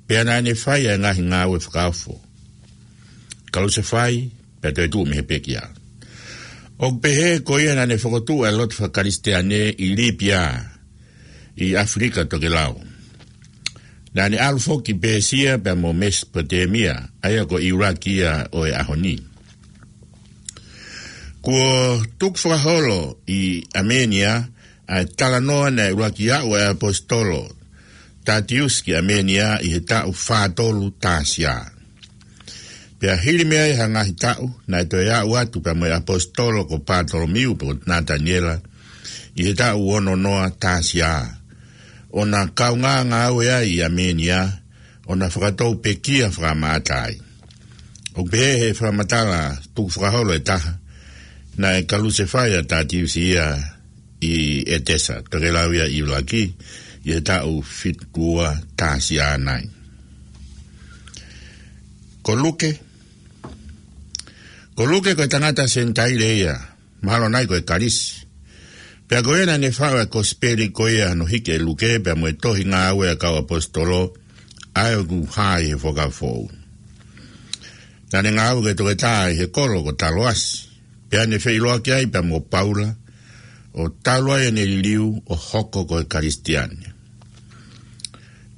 pea naʻa ne fai ʻa e ngaahi ngāue fakaofo. Kalusefai, pea toe tuʻu mei he pekia. ʻOku pehē ko ia naʻa ne fokotuʻu ʻa e lotu faka-Kalisitiane ʻi Lipia, ʻi ʻAfilika Tokelau. Naʻa ne ʻalu foki ki Pēsia pea mo Mesopotemia, ʻa ia ko ʻIulaki ia ʻo e ʻaho ni. Kuo tukufakaholo ʻi ʻAmenia ʻa e talanoa naʻe ʻuluaki aʻu ʻa e ʻaposetolo Tatiusi ki ʻAmenia ʻi he taʻu fā tolu T.S.I. Pea hili mei ai ha ngaahi taʻu, naʻe toe aʻu atu pea mo e ʻaposetolo ko Patolomiu pe ko Nataniela ʻi he taʻu ono noa T.S.I., ʻo na kaungā ngāue ai ʻi ʻAmenia, ʻo na fakatou pekia fakamaʻata ai. ʻOku pehē he fakamatala tukufakaholo ʻe taha, naʻe kalusefai ʻa Tatiusi ia ʻi ʻEtesa, tokelau ia ʻo ʻIulaki, ʻi he taʻu fitu ua T.S.I. nai. Ko Luke, ko Luke ko e tangata Senitaile ia, mahalo nai ko e Kalisi. Pea ko ia naʻa ne faʻu ʻa e kosipeli ko ia hono hiki ʻe Luke, pea mo e tohi Ngāue ʻa e Kau ʻAposetolo, ʻa ia ʻoku hā ʻi he Fuakava Foʻou. Naʻa ne ngāue ko e toketā ʻi he kolo ko Taloasi. Pea ne feʻiloaki ai pea mo Paula, ʻo talu ai ʻene liliu ʻo hoko ko e Kalisitiane.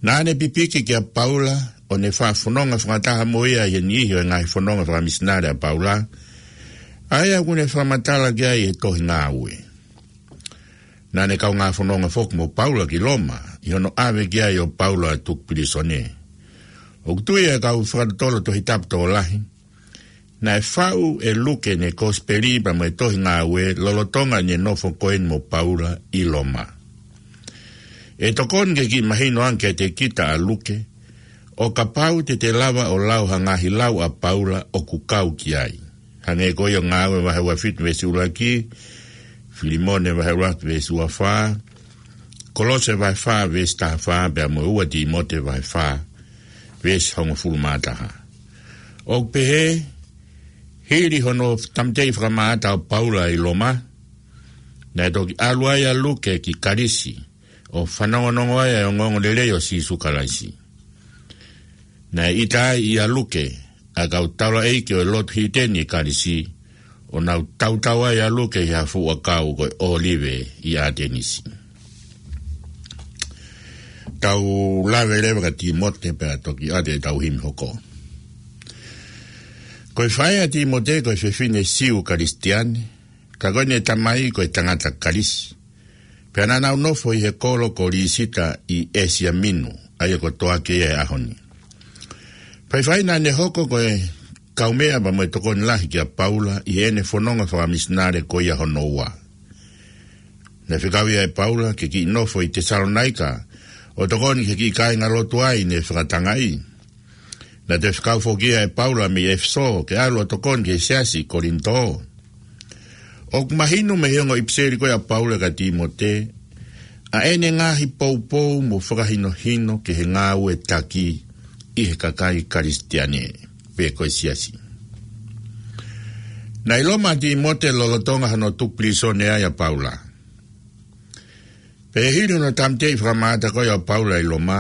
Naʻa ne pipiki kia Paula, ʻo ne faʻa fononga fakataha mo ia ʻi he niʻihi ʻo e ngaahi fononga fakamisinale ʻa Paula, ʻa ia ʻoku ne fakamatala ki ai ʻi he tohi Ngāue. Naʻa ne kaungā fononga foki mo Paula ki Loma, ʻi hono ʻave ki ai ʻo Paula ʻo tuku pilīsone. ʻOku tui ʻa e kau fakatotolo Tohi Tapu tokolahi, naʻe faʻu ʻe Luke ʻene kosipeli pea mo e tohi Ngāue lolotonga ʻene nofo ko eni mo Paula ʻi Loma. ʻE tokoni ke kiʻi mahino ange kiate kita ʻa Luke, ʻo kapau te te lava ʻo lau ha ngaahi lau ʻa Paula ʻoku kau ki ai. Hangē ko ia ʻo Ngāue vahe ua fitu veesi ʻuluaki, Filimone vahe ʻuluaki veesi ua fā, Kolose vahe fā veesi taha fā, pea mo e ua Tīmote vahe fā veesi hongofulu mā taha. ʻOku pehē, hili hono tāmateʻi fakamaʻata ʻo Paula ʻi Loma, naʻe toki ʻalu ai ʻa Luke ki Kalisi, ʻo fanongonongo ai ʻa e ongoongolelei ʻo Sīsū Kalaisi. Naʻe ʻita ai ʻia Luke ʻa e kau taulaʻeiki ʻo e lotu Hiteni ʻi Kalisi, ʻo nau tautau ai ʻa Luke ʻi ha fuʻu ʻakau ko e ʻōlive ʻi ʻAtenisi. Tau lave leva kia Tīmote pea toki ʻoatu ʻetau himi hoko. Ko e faʻē ʻa Tīmote ko e fefine Siu Kalisitiane, ka ko ʻene tamai ko e tangata Kalisi. Pea naʻa nau nofo ʻi he kolo ko Lisita ʻi ʻĒsia Minu, ʻa ia ko Toake ia he ʻaho ni. Faifai naʻa ne hoko ko e kaumeʻa pea mo e tokoni lahi kia Paula ʻi heʻene fononga fakamisinale ko ia hono ua. Naʻe fekau ia ʻe Paula ke kiʻi nofo ʻi Tesalonaika, ʻo tokoni ki he kiʻi kāingalotu ai ne fakatangaʻi. Naʻe toe fekau foki ia ʻe Paula mei ʻEfesō ke ʻalu ʻo tokoni ki he siasi ʻi Kolinitō. ʻOku mahino mei he ongo ʻipiseli ko ia ʻa Paula kia Tīmote, ʻa ʻene ngaahi poupou mo fakahinohino ki he ngāue taki ʻi he kakai Kalisitiane, pe ko e siasi. Naʻe ʻi Loma ʻa Tīmote lolotonga hono tuku pilīsone ai ʻa Paula. Pea hili hono tāmateʻi fakamātoato ko ia ʻo Paula ʻi Loma,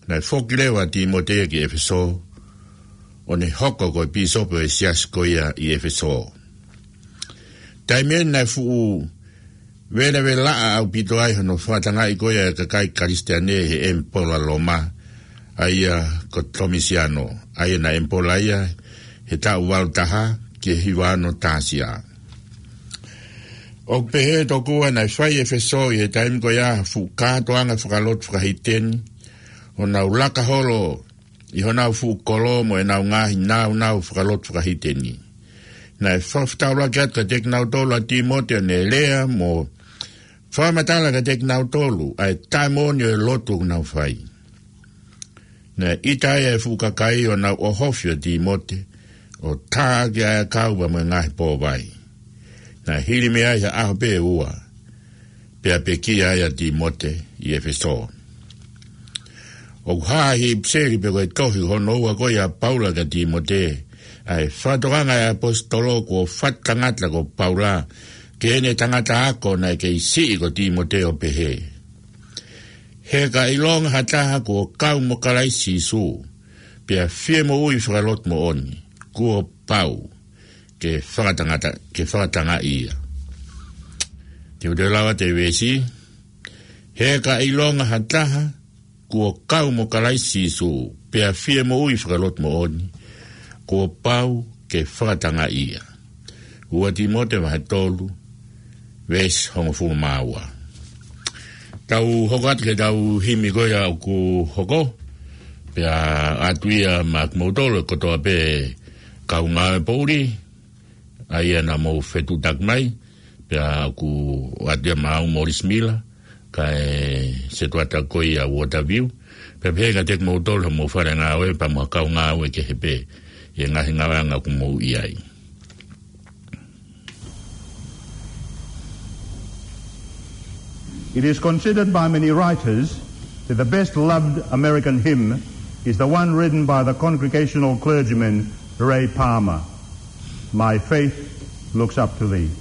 naʻe foki leva ʻa Tīmote ki ʻEfesō, ʻo ne hoko ko e pīsope ʻo e siasi ko ia ʻi ʻEfesō. Taimi ʻeni naʻe fuʻu velavelaʻa ʻaupito ai hono fakatangaʻi ko ia ʻa e kakai Kalisitiane ʻe he ʻemipola Loma, ʻa ia ko Tomisiano, ʻa ia naʻe ʻemipola ia he taʻu valu taha ki he hiva ono T.S. ʻOku pehē tokua naʻe fai ʻi ʻEfesō ʻi he taimi ko ia ha fuʻu kātoanga fakalotu fakahīteni, ʻo nau laka holo ʻi honau fuʻu kolo mo ʻenau ngaahi nāunau fakalotu fakahīteni. Naʻe fakafetaulaki atu kiate kinautolu ʻa Tīmote ʻo ne lea mo fakamatala kiate kinautolu ʻa e taʻemoʻoni ʻo e lotu ʻoku nau fai. Naʻe ʻita ai ʻa e fuʻu kakai ʻo nau ʻohofi ʻa Tīmote, ʻo tā ʻaki ʻa e ʻakau pea mo e ngaahi pōvai. Naʻe hili mei ai ha ʻaho pe ua, pea pekia ai ʻa Tīmote ʻi ʻEfesō. ʻOku hā ʻi he ʻipiseli pe ko e tohi hono ua ko ia ʻa Paula kia Tīmote, ʻa e fakatokanga ʻa e ʻaposetolo kuo fatu tangata ko Paula ki heʻene tangata ako naʻe kei siʻi ko Tīmote ʻo pehē: He ka ʻilonga ha taha kuo kau mo Kalaisi Sīsū, pea fie moʻui fakalotu moʻoni, kuo pau ke fakatangata, ke fakatangaʻi ia. Te u toe lau atu e veesi. He ka ʻilonga ha taha kuo kau mo Kalaisi Sīsū, pea fie moʻui fakalotu moʻoni, kuo pau ke fakatangaʻi ia. Ua Tīmote vahe tolu, veesi hongofulu mā ua. Tau hoko atu ki heʻetau himi ko ia ʻoku hoko, pea ʻoatu ia maʻa kimoutolu kotoa pē kau ngāue poʻuli, ʻa ia naʻa mou fetuʻutaki mai, pea ʻoku ʻoatu ia maʻa Morris Miller, kae setuata ko ia Waterview, pea pehē kiate kimoutolu hoʻomou fale ngāue pea mo e kau ngāue kehe pē ʻi he ngaahi ngāueʻanga ʻoku mou ʻi ai. It is considered by many writers that the best loved American hymn is the one written by the Congregational clergyman Ray Palmer, My Faith Looks Up to Thee.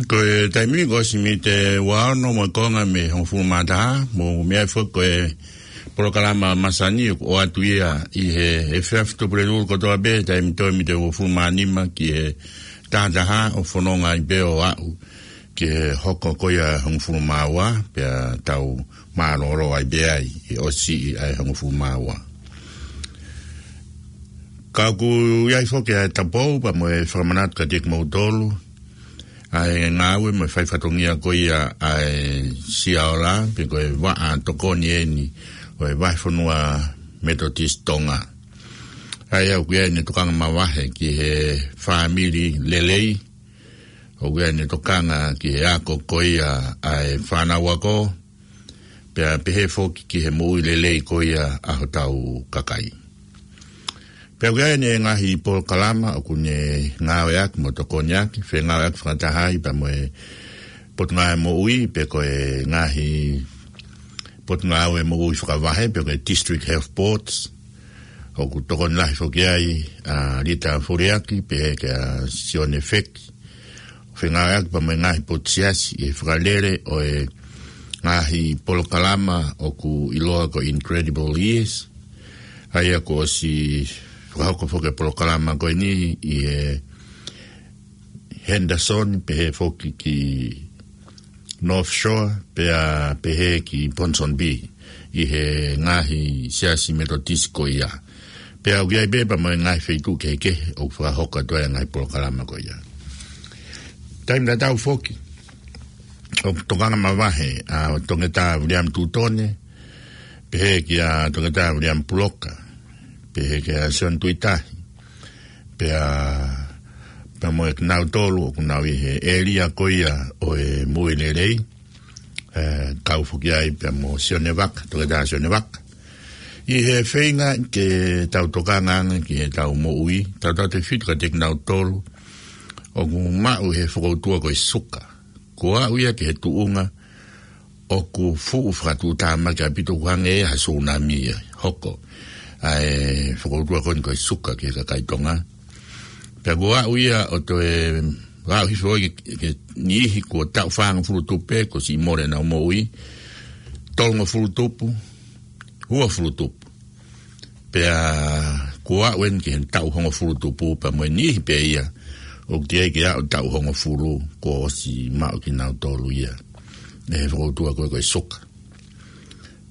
Ko e taimi ko ʻosi mei he ua ono mo e konga mei he hongofulu mā taha, mou meaʻi foki ko e polokalama masani ʻoku ʻoatu ia ʻi he efiafi Tuʻapulelulu kotoa pē, taimi toe mei he hongofulu mā nima ki he taha taha, ʻo fononga ai pē ʻo aʻu ki he hoko ko ia hongofulu mā ua, pea tau mālōlō ai pē ai ʻi he ʻosi ʻa e hongofulu mā ua. Ka ʻoku ʻi ai foki ʻa e tapou pea mo e fakamanatu kiate kimoutolu ʻa e ngāue mo e fai fatongia ko ia ʻa e Siaola, pe ko e vaʻa tokoni eni ʻo e Vahefonua Metotisi Tonga. ʻA ia ʻoku ʻi ai ʻene tokanga mavahe ki he fāmili lelei, ʻoku ʻi ai ʻene tokanga ki he ako ko ia ʻa e fānau ako, pea pehē foki ki he moʻui lelei ko ia ʻa hotau kakai. Pea ʻoku ʻi ai ʻene ngaahi polokalama ʻoku ne ngāueʻaki mo tokoniʻaki, fengāueʻaki fakataha ai pea mo e Potungāue Moʻui, pe ko e ngaahi Potungāue Moʻui Fakavahe, pe ko e District Health Boards, ʻoku tokoni lahi foki ai ʻa Lita Foliaki, pehē kia Sione Feki, fengāueʻaki pea mo e ngaahi potu siasi ʻi he fakalele ʻo e ngaahi polokalama ʻoku ʻiloa ko e Incredible Years. ʻA ia kuo ʻosi fakahoko foki e polokalama ko eni ʻi he Henderson, pehē foki ki North Shore, pea pehē ki Ponsonby, ʻi he ngaahi siasi Metotisi ko ia. Pea ʻoku ʻi ai pē pea mo e ngaahi feituʻu kehekehe ʻoku fakahoko atu ai e ngaahi polokalama ko ia. Taimi tatau foki, ʻoku tokanga mavahe ʻa Toketā Viliami Tutone, pehē kia Toketā Viliami Puloka, pehē kia Sione Tuʻitahi, pea, pea mo kinautolu ʻoku nau ʻi he ʻēlia ko ia ʻo e moʻui lelei, ē, kau foki ai pea mo Sione Vaka, Toketā Sione Vaka. ʻI he feinga ke tau tokanga ange ki heʻetau moʻui, tautautefito kiate kinautolu ʻoku maʻu he fokoutua ko e suka. Kuo aʻu ia ki he tuʻunga ʻoku fuʻu fakatuʻutāmaki ʻaupito, ʻoku hangē ia ha sūnami ia hoko ʻa e fokoutua ko eni ko e suka ki he kakai Tonga. Pea kuo aʻu ia ʻo toe aʻu hifo ki, ki he niʻihi kuo taʻu fāngofulu tupu pē, kuo siʻi mole ʻenau moʻui, tolungofulu tupu, uofulu tupu. Pea kuo aʻu eni ki he taʻu hongofulu tupu pea mo e niʻihi pē ia ʻoku teʻeki ai ke aʻu taʻu hongofulu kuo ʻosi maʻu kinautolu ia ʻe he fokoutua ko ē ko e suka.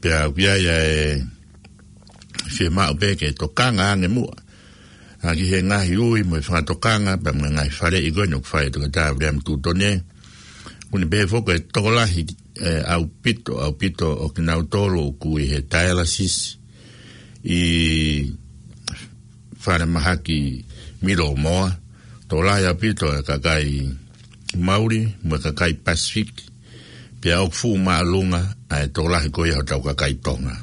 Pea ʻoku ʻi ai ʻa e fiemaʻu pē ke tokanga ange muʻa ʻa ki he ngaahi ui mo e fakatokanga pea mo e ngaahi faleʻi ko eni ʻoku fai ʻe Toketā Viliami Tutone. ʻOku ne pehē foki ʻe tokolahi, ē, ʻaupito, ʻaupito ʻo kinautolu ʻoku ʻi he dialysis ʻi Falemahaki, Middlemore, tokolahi ʻaupito e kakai Mauli mo e kakai Pasifiki, pea ʻoku fuʻu māʻolunga ʻa e tokolahi ko ia hotau kakai Tonga.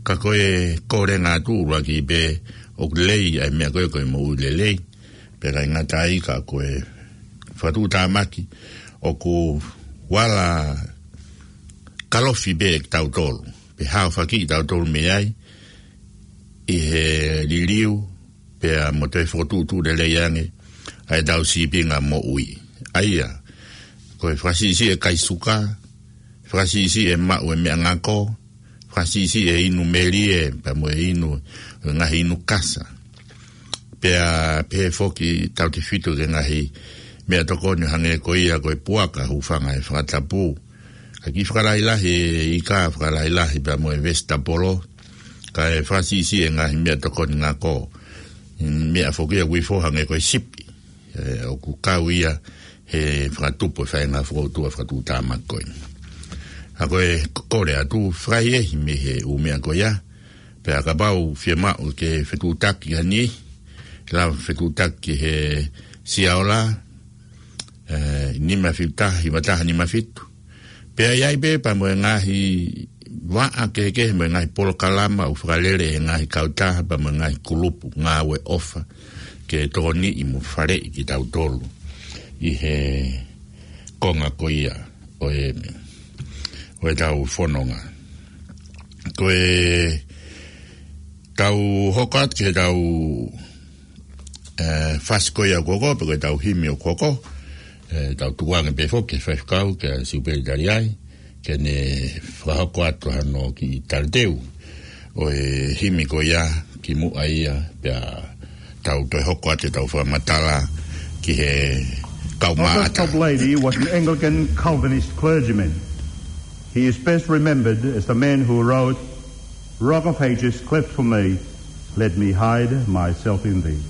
Ka ko e kole ʻa e ngaahi tuʻu ʻuluaki pē ʻoku lelei ʻa e meʻa ko ē ko e moʻui lelei, pea ʻikai ngata ai ka ko e fakatuʻutāmaki ʻoku vala kalofi pē kitautolu, pe haofaki kitautolu mei ai ʻi he liliu, pea mo toe fokotuʻutuʻu lelei ange ʻa ʻetau sīpinga moʻui. ʻA ia, ko e fakasiʻisiʻi e kai suka, fakasiʻisiʻi e maʻu e meʻangako, fakasiʻisiʻi e inu melie, pea mo e inu, ngaahi inu kasa. Pea pehē foki tautefito ki he ngaahi meʻatokoni hangē ko ia ko e puaka, hūfanga he fakatapu, ʻa e kiʻi fakalahilahi e ika, fakalahilahi pea mo e vesitapolo, kae fakasiʻisiʻi e ngaahi meʻatokoni ngako. Meʻa foki ia ʻoku ifo hangē ko e sipi, ē, ʻoku kau ia he fakatupu e faʻahinga fokoutua fakatuʻutāmaki ko ē. ʻA ko e kole atu fakaʻehiʻehi mei he ʻū meʻa ko ia, pea kapau fiemaʻu ke fetuʻutaki ha niʻihi, lava fetuʻutaki he Siaola, ē, nima fitu taha, hiva taha nima fitu. Pea ʻi ai pē pea mo e ngaahi vaʻa kehekehe mo e ngaahi polokalama ʻoku fakalele ʻe he ngaahi kautaha pea mo e ngaahi kulupu ngāue ʻofa ke tokoniʻi mo faleʻi kitautolu ʻi he konga ko ia ʻo e, ʻo ʻetau fononga. Ko ʻetau hoko atu ki heʻetau, ē, fasi ko ia ʻoku hoko, pe ko ʻetau himi ʻoku hoko, ʻE, tau tukuange pē foki ki he faifekau, kia Siupeli Taliai, ke ne fakahoko atu hano kiʻi talateu ʻo e himi ko ia kimuʻa ia, pea tau toe hoko atu ʻetau fakamatala ki he kau Well, this maʻata. Top lady was an Anglican Calvinist clergyman. He is best remembered as the man who wrote, "Rock of Ages, cleft for me, let me hide myself in thee."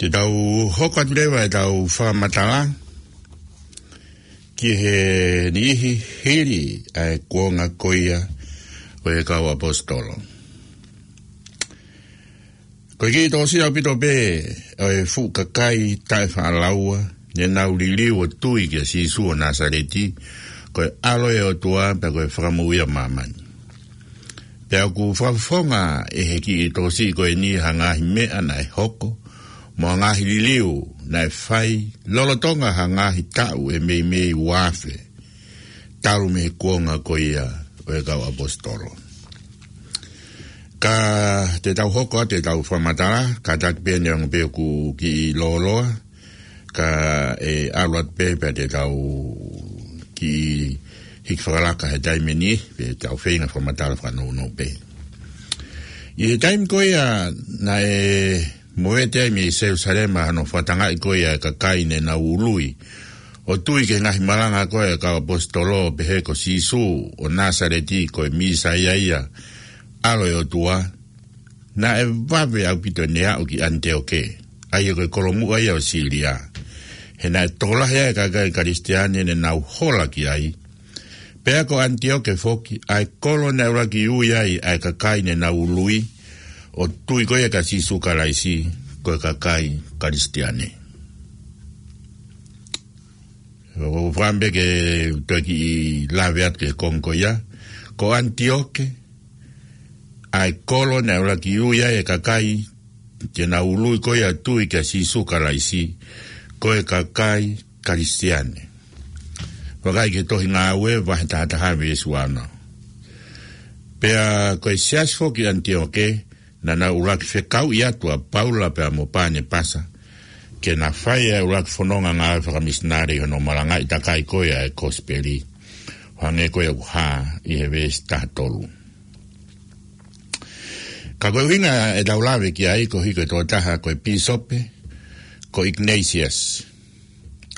Te tau hoko atu leva ʻetau fakamatala ki he niʻihi hili ʻa e kuonga ko ia ʻo e kau ʻaposetolo. Ko e kiʻi tōsia ʻaupito pē ʻo e fuʻu kakai taʻefaʻalaua ne nau liliu ʻo tui kia Sīsū ʻo Nāsaleti, ko e ʻAlo ʻo e ʻOtua pea ko e Fakamoʻui ʻa māmani. Pea ʻoku fakafofonga ʻe he kiʻi tōsia ko eni ha ngaahi meʻa naʻe hoko, mo ha ngaahi liliu naʻe fai, lolotonga ha ngaahi taʻu ʻe meimei ua afe, talu mei he kuonga ko ia ʻo e kau ʻaposetolo. Ka te tau hoko atu ʻetau fakamatala, kātaki pē neongo pē ʻoku kiʻi lōloa, ka ʻe ʻalu atu pē pea te tau kiʻi hiki fakalaka he taimi ni, pea tau feinga fakamatala fakanounou pē. ʻI he taimi ko ia naʻe movete ai mei Selūsalema hano fakatangaʻi ko ia e kakai ne nau ului ʻo tui ki he ngaahi malanga ko ia ʻa e kau ʻaposetolo ʻo pehē ko Sīsū ʻo Nāsaleti ko e Mīsaia ia, ʻAlo ʻo e ʻOtua, naʻe vave ʻaupito ʻene aʻu ki ʻAniteoke, ʻa ia ko e kolomuʻa ia ʻo Sīlia. He naʻe tokolahi ai e kakai Kalisitiane ne nau hola ki ai. Pea ko ʻAniteoke foki, ʻa e kolo naʻe ʻuluaki ui ai ʻa e kakai ne nau ului ʻo tui ko ia kia Sīsū Kalaisi, ko e kakai Kalisitiane. ʻOku ou fakaʻamu pē ke toe kiʻi lave atu ki he konga ko ia. Ko ʻAniteoke, ʻa e kolo naʻe ʻuluaki ui ai e kakai te nau ului ko ia ʻo tui kia Sīsū Kalaisi, ko e kakai Kalisitiane. Vakai ki he tohi Ngāue, vahe taha taha veesi ua ono. Pea ko e siasi foki ʻAniteoke, naʻa nau ʻuluaki fekauʻi atu ʻa Paula pea mo Panepasa, ke na fai ʻa e ʻuluaki fononga ngāue fakamisinale ʻi hono malangaʻi takai ko ia e kosipeli, ʻo hangē ko ia ʻoku hā ʻi he veesi taha tolu. Ka ko e ʻuhinga ʻetau lave ki ai, ko e hiko e tokotaha ko e pīsope, ko Ignatius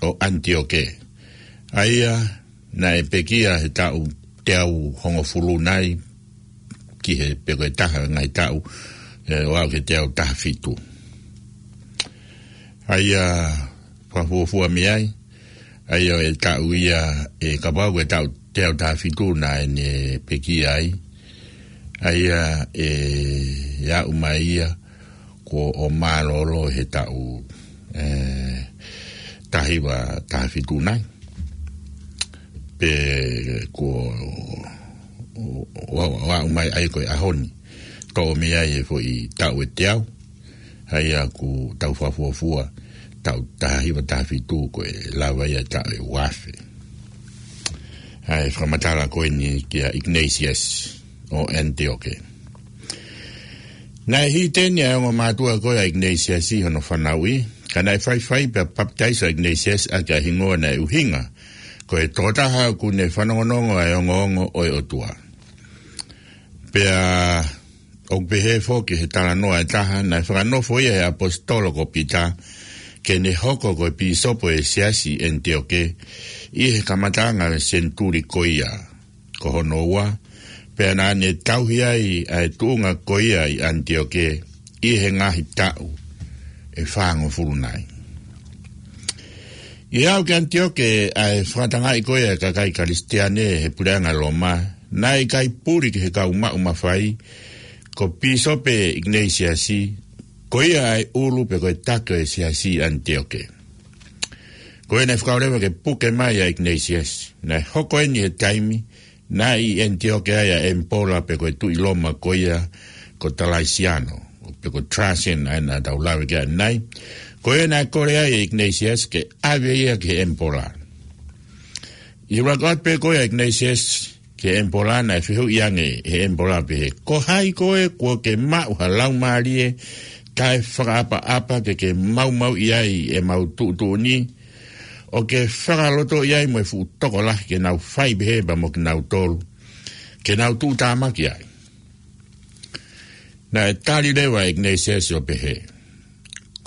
ʻo ʻAniteoke. ʻA ia naʻe pekia he taʻu teau hongofulu nai, ki he pe ko e taha ngaahi taʻu, ē, ʻo aʻu ki he teau taha fitu. ʻA ia fakafuofua mei ai, ʻa ia ʻo e taʻu ia ʻe kapau ko e taʻu teau taha fitu naʻa ne pekia ai, ʻa ia ʻe aʻu mai ia kuo ʻo mālōlō he taʻu, ē, taha hiva taha fitu nai. Pe kuo ʻo, ʻo, ʻo aʻu mai ai ko e ʻaho ni. Toʻo mei ai e foʻi taʻu ʻe teau. ʻA ia ʻoku tau fakafuofua taʻu taha hiva taha fitu ko e lava ia taʻu ʻe uaafe. ʻA e fakamatala ko eni kia Ignatius ʻo Antioke. Naʻe hiteni ʻa e ongo mātuʻa ko ia ʻa Ignatius ʻi hono fanauʻi, ka naʻe faifai pea papitaiso ʻa Ignatius ʻaki ʻa e hingoa naʻe ʻuhinga ko e tokotaha ʻoku ne fanongonongo ʻa e ongoongo ʻo e ʻOtua. Pea ʻoku pehē foki he talanoa ʻe taha, naʻe fakanofo ia ʻe he ʻaposetolo ko Pita ke ne hoko ko e pīsope ʻo e siasi ʻi Antioke ʻi he kamataʻanga ʻo e senituli ko ia. Ko hono ua, pea naʻa ne tauhi ai ʻa e tuʻunga ko ia ʻi Antioke ʻi he ngaahi taʻu ʻe fāngofulu nai. ʻI he aʻu ki Antioke ʻa e fakatangaʻi ko ia ʻa e kakai Kalisitiane he puleʻanga Loma, naʻe ʻikai puli ki he kau maʻu mafai ko Pīsope Ignatius, ko ia ʻa e ʻulu pe ko e taki ʻo e siasi ʻi Antioke. Ko ia naʻe fakaʻosi leva ke puke mai ʻa Ignatius. Naʻe hoko eni he taimi naʻe ʻi Antioke ai ʻa e ʻemipola pe ko e tuʻi Loma ko ia ko Talaisiano, pe ko Trajan ʻa ia naʻa tau lave ki ai ʻanenai. Ko ia naʻe kole ai ʻa Ignatius ke ʻave ia ki he ʻemipola. ʻI he ʻuluaki ʻalu pē ko ia ʻa Ignatius ki he ʻemipola, naʻe fehuʻi ange ʻe he ʻemipola pehē, ko hai koe kuo ke maʻu ha laumālie taʻefakaʻapaʻapa ke ke maumauʻi ai ʻemau tuʻutuʻuni, ʻo ke fakalotoʻi ai mo e fuʻu tokolahi ke nau fai pehē pea mo kinautolu, ke nau tuʻutāmaki ai? Naʻe tali leva ʻe Ignatius ʻo pehē,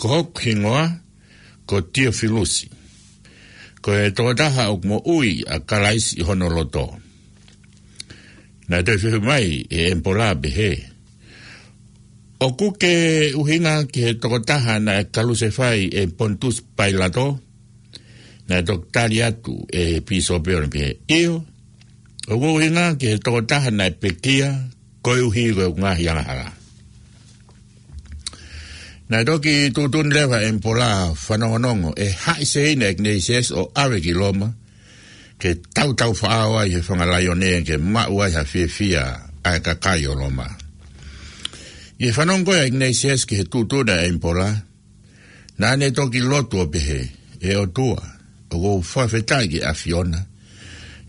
ko hoku hingoa ko Tiofilusi, ko e tokotaha ʻoku moʻui ʻa Kalaisi ʻi hono loto. Naʻe toe fehuʻi mai ʻe he ʻemipola pehē, ʻoku ke ʻuhinga ki he tokotaha naʻe kalusefai ʻe Ponitusi Pailato? Naʻe toki tali atu ʻe he pīsope ʻo ne pehē, ʻio, ʻoku ou ʻuhinga ki he tokotaha naʻe pekia koeʻuhi ko ʻeku ngaahi angahala. Naʻe toki tuʻutuʻuni leva ʻe he ʻemipola fanongonongo ʻe haʻi seina ʻa Ignatius ʻo ʻave ki Loma, ke tautau faʻao ai he fanga laione ke maʻu ai ha fiefia ʻa e kakai ʻo Loma. ʻI he fanongo ko ia ʻa Ignatius ki he tuʻutuʻuni ʻa e ʻemipola, naʻa ne toki lotu ʻo pehē, ʻE ʻOtua, ʻoku ou fakafetaʻi ki he ʻAfiona,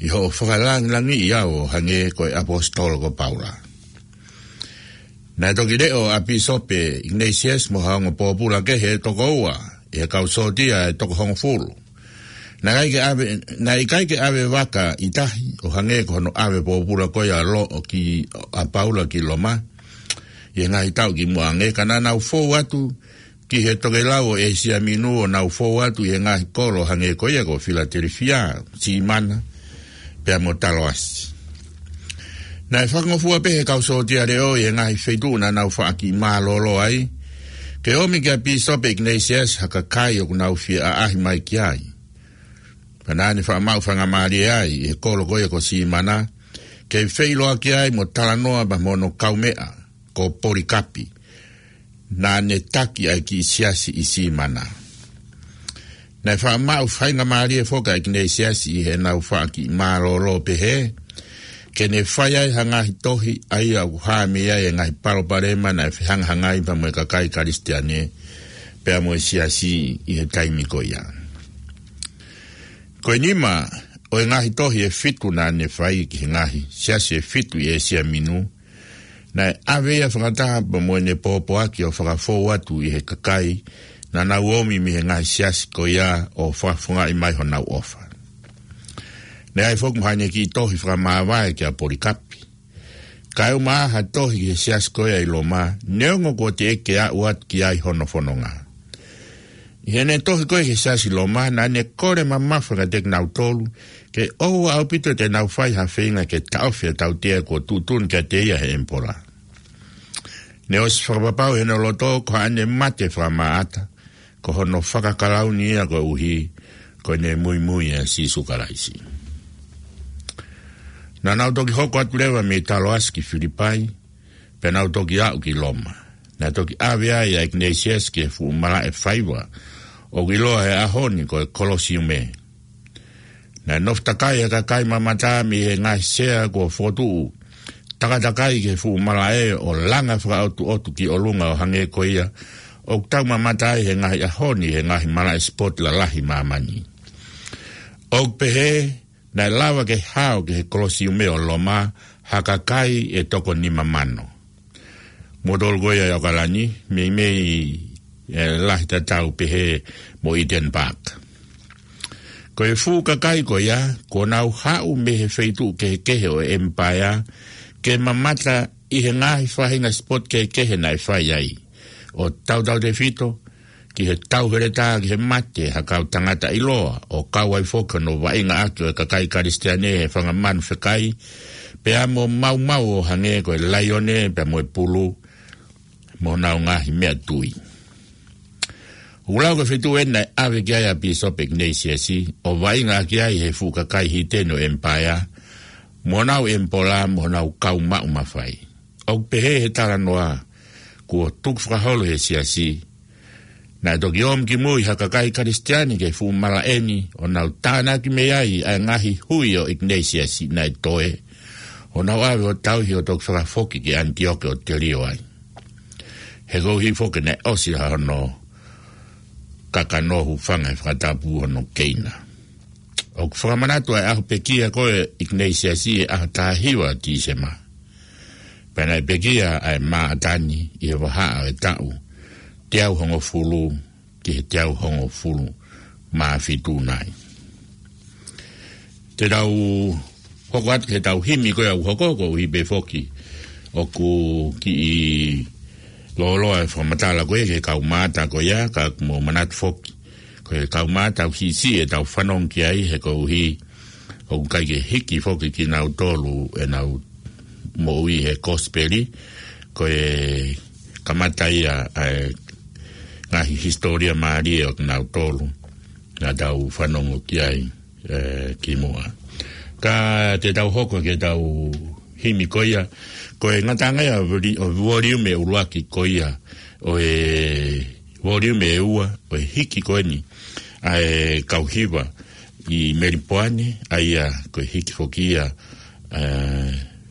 ʻi hoʻo fakalāngilangiʻi au ʻo hangē ko e ʻaposetolo ko Paula. Naʻe toki leʻo ʻa Pīsope Ignatius mo ha ongo pōpula kehe ʻe toko ua ʻi he kau sōtia ʻe toko hongofulu. Naʻe ʻikai ke ʻave, naʻe ʻikai ke ʻave vaka ʻi tahi ʻo hangē ko hono ʻave pōpula ko ia ʻa Lo-, ʻo ki, ʻa Paula ki Loma ʻi he ngaahi taʻu kimuʻa ange, ka naʻa nau fou atu ki he tokelau ʻo ʻĒsia Minu ʻo nau fou atu ʻi he ngaahi kolo hangē ko ia ko Filatelifia, Simana, pea mo Taloasi. Naʻe fakangofua pē ʻe he kau sōtia leʻo ʻi he ngaahi feituʻu naʻa nau faʻa kiʻi mālōlō ai, ke ʻomi kia Pīsope Ignatius ha kakai ʻoku nau fie ʻaʻahi mai ki ai. Pea naʻa ne faʻa maʻu faingamālie ai ʻi he kolo ko ia ko Simana, ke feʻiloaki ai mo talanoa pea mo hono kaumeʻa ko Polikapi, naʻa ne taki ʻa e kiʻi siasi ʻi Simana. Naʻe faʻa maʻu faingamālie foki ʻa Ignatius ʻi heʻenau faʻa kiʻi mālōlō pehē, ke ne fai ai ha ngaahi tohi ʻa ia ʻoku hā mei ai e ngaahi palopalema naʻe fehangahangai pea mo e kakai Kalisitiane, pea mo e siasi ʻi he taimi ko ia. Ko e nima ʻo e ngaahi tohi ʻe fitu naʻa ne fai ki he ngaahi siasi ʻe fitu ʻi ʻĒsia Minu, naʻe ʻave ia fakataha pea mo ʻene pōpoaki ʻo fakafou atu ʻi he kakai naʻa nau ōmi mei he ngaahi siasi ko ia ʻo fakafofongaʻi mai honau ʻofa. Naʻe ʻi ai foki mo haʻane kiʻi tohi fakamāvae kia Polikapi. Kae ʻumaʻā ha tohi ki he siasi ko ia ʻi Loma, neongo kuo teʻeki ke aʻu atu ki ai hono fononga. ʻI heʻene tohi ko ia ki he siasi Loma, naʻa ne kole mamafa kiate kinautolu ke ʻoua ʻaupito te nau fai ha feinga ke taʻofi ʻa e tautea kuo tuʻutuʻuni kiate ia ʻe he ʻemipola. Naʻe ʻosi fakapapau ʻi hono loto ko haʻane mate fakamaʻata, ko hono fakakalauni ia koeʻuhi ko ʻene muimui ʻa Sīsū Kalaisi. Naʻa nau toki hoko atu leva mei Taloasi ki Filipai, pea nau toki aʻu ki Loma. Naʻe toki ʻave ai ʻa ʻIkinisiasi ki he fuʻu malaʻe faiva, ʻoku ʻiloa he ʻaho ni ko e Kolosiume. Naʻe nofo takai ʻa e kakai mamata mei he ngaahi sea kuo fokotuʻu takatakai ki he fuʻu malaʻe ʻo langa fakaʻotuʻotu ki ʻolunga ʻo hangē ko ia ʻoku tau mamata ai he ngaahi ʻaho ni he ngaahi malaʻe sipoti lalahi ʻa māmani. ʻOku pehē, naʻe lava ke hao ki he Kolosiume ʻo Loma ha kakai ʻe toko nima mano. Mo tolu ko ia ʻi ʻAokalani, meimei ʻe lahi tatau pehē mo Eden Park. Ko e fuʻu kakai ko ia, kuo nau haʻu mei he feituʻu kehekehe ʻo e ʻemipaea, ke mamata ʻi he ngaahi faʻahinga sipoti kehekehe naʻe fai ai. ʻO tautautefito, ki he tauheletā ki he mate ha kau tangata ʻiloa, ʻo kau ai foki hono vaʻinga ʻaki ʻo e kakai Kalisitiane he fanga manu fekai, pea mo maumau ʻo hangē ko e laione, pea mo e pulu, mo honau ngaahi meʻatui. ʻOku lau ko e feituʻu eni naʻe ʻave ki ai ʻa Pīsope ʻIkinisiasi, ʻo vaʻinga ʻaki ai he fuʻu kakai hiteni ʻo e ʻemipaea, mo honau ʻemipola, mo honau kau maʻu mafai. ʻOku pehē he talanoa, kuo tukufakaholo he siasi, naʻe toki ō mai ki mui ha kakai Kalisitiane ki he fuʻu malaʻe ni, ʻo nau tānaki mei ai ʻa e ngaahi hui ʻo e ʻIkinisiasi naʻe toe, ʻo nau ʻave ʻo tauhi ʻo toki fakafoki ki ʻAnitioke ʻo telio ai. He koeʻuhi foki naʻe ʻosi ha hono kakano, hūfanga he fakatapu hono keina. ʻOku fakamanatu ʻa e ʻaho pekia ko ē ʻa e ʻIkinisiasi he ʻaho taha hiva Tīsema. Pea naʻe pekia ʻa e Maʻatani ʻi he vahaʻa ʻo e taʻu teau hongofulu ki he teau hongofulu mā fitu nai. Te tau hoko atu ki heʻetau himi ko ē ʻoku hoko, koeʻuhi pē foki ʻoku kiʻi lōloa e fakamatala ko ē ki he kau mata ko ia, ka ʻoku mou manatu foki, ko e kau mata ʻoku siʻisiʻi ʻetau fanongo ki ai, he koeʻuhi ʻoku ʻikai ke hiki foki kinautolu ʻenau moʻui he kosipeli, ko e kamata ia ʻa e ngaahi hisitōlia mālie ʻo kinautolu naʻa tau fanongo ki ai, ē, kimuʻa. Ka te tau hoko ki heʻetau himi ko ia, ko e ngataʻanga ia ʻo e voli-, ʻo e voliume ʻuluaki ko ia, ʻo e voliume ʻe ua ʻo e hiki ko eni ʻa e kau hiva ʻi Melipoane, ʻa ia ko e hiki foki ia, ē,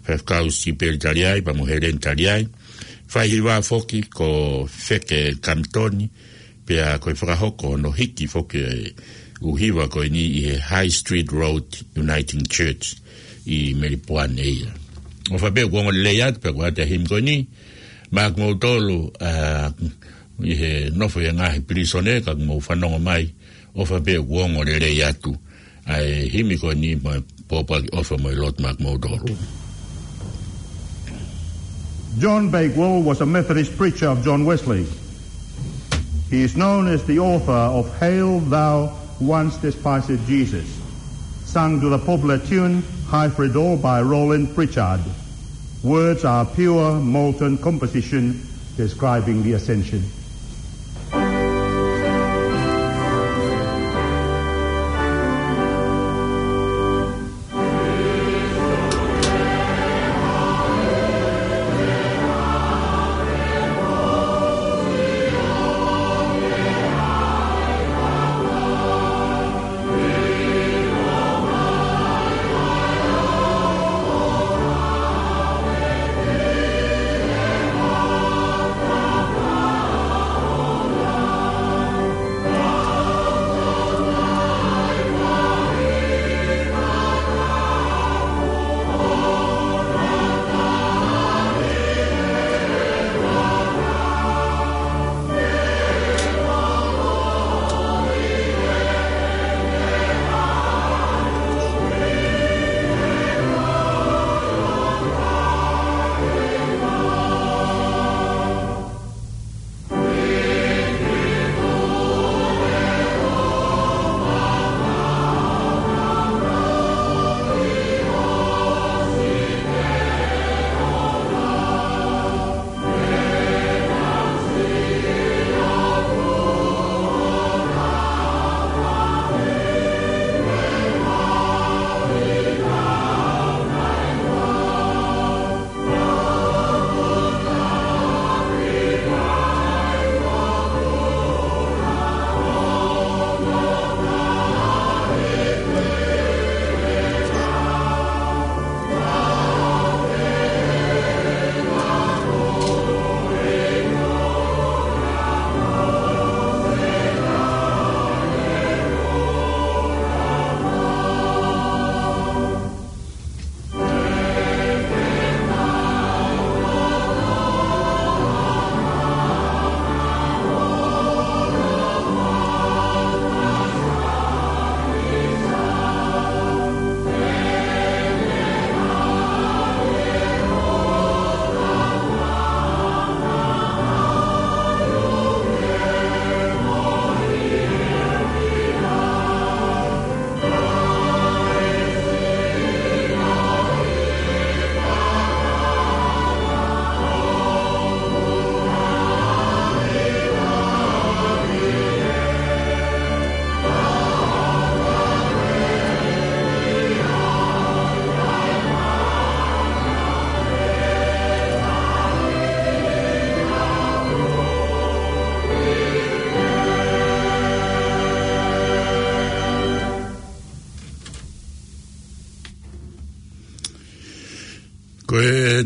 Faifekau Sipeli Taliai, pea mo Heleni Taliai. Faihiva foki ko Feke Kamitoni, pea ko e fakahoko hono hiki foki e ʻū hiva ko eni ʻi he High Street Road Uniting Church ʻi Melipoane ia. ʻOfa pē ʻoku ongo lelei atu, pea ko ʻata himi ko eni, maʻa kimoutolu, ā, ʻi he nofo ʻi he ngaahi pilīsone, ka mou fanongo mai, ʻofa pē ʻoku ongo lelei atu ʻa e himi ko eni, mo e pōpoaki ʻofa mo e lotu maʻa kimoutolu. John Bakewell was a Methodist preacher of John Wesley. He is known as the author of Hail Thou Once Despised Jesus, sung to the popular tune High for It All by Roland Pritchard. Words are pure molten composition describing the Ascension.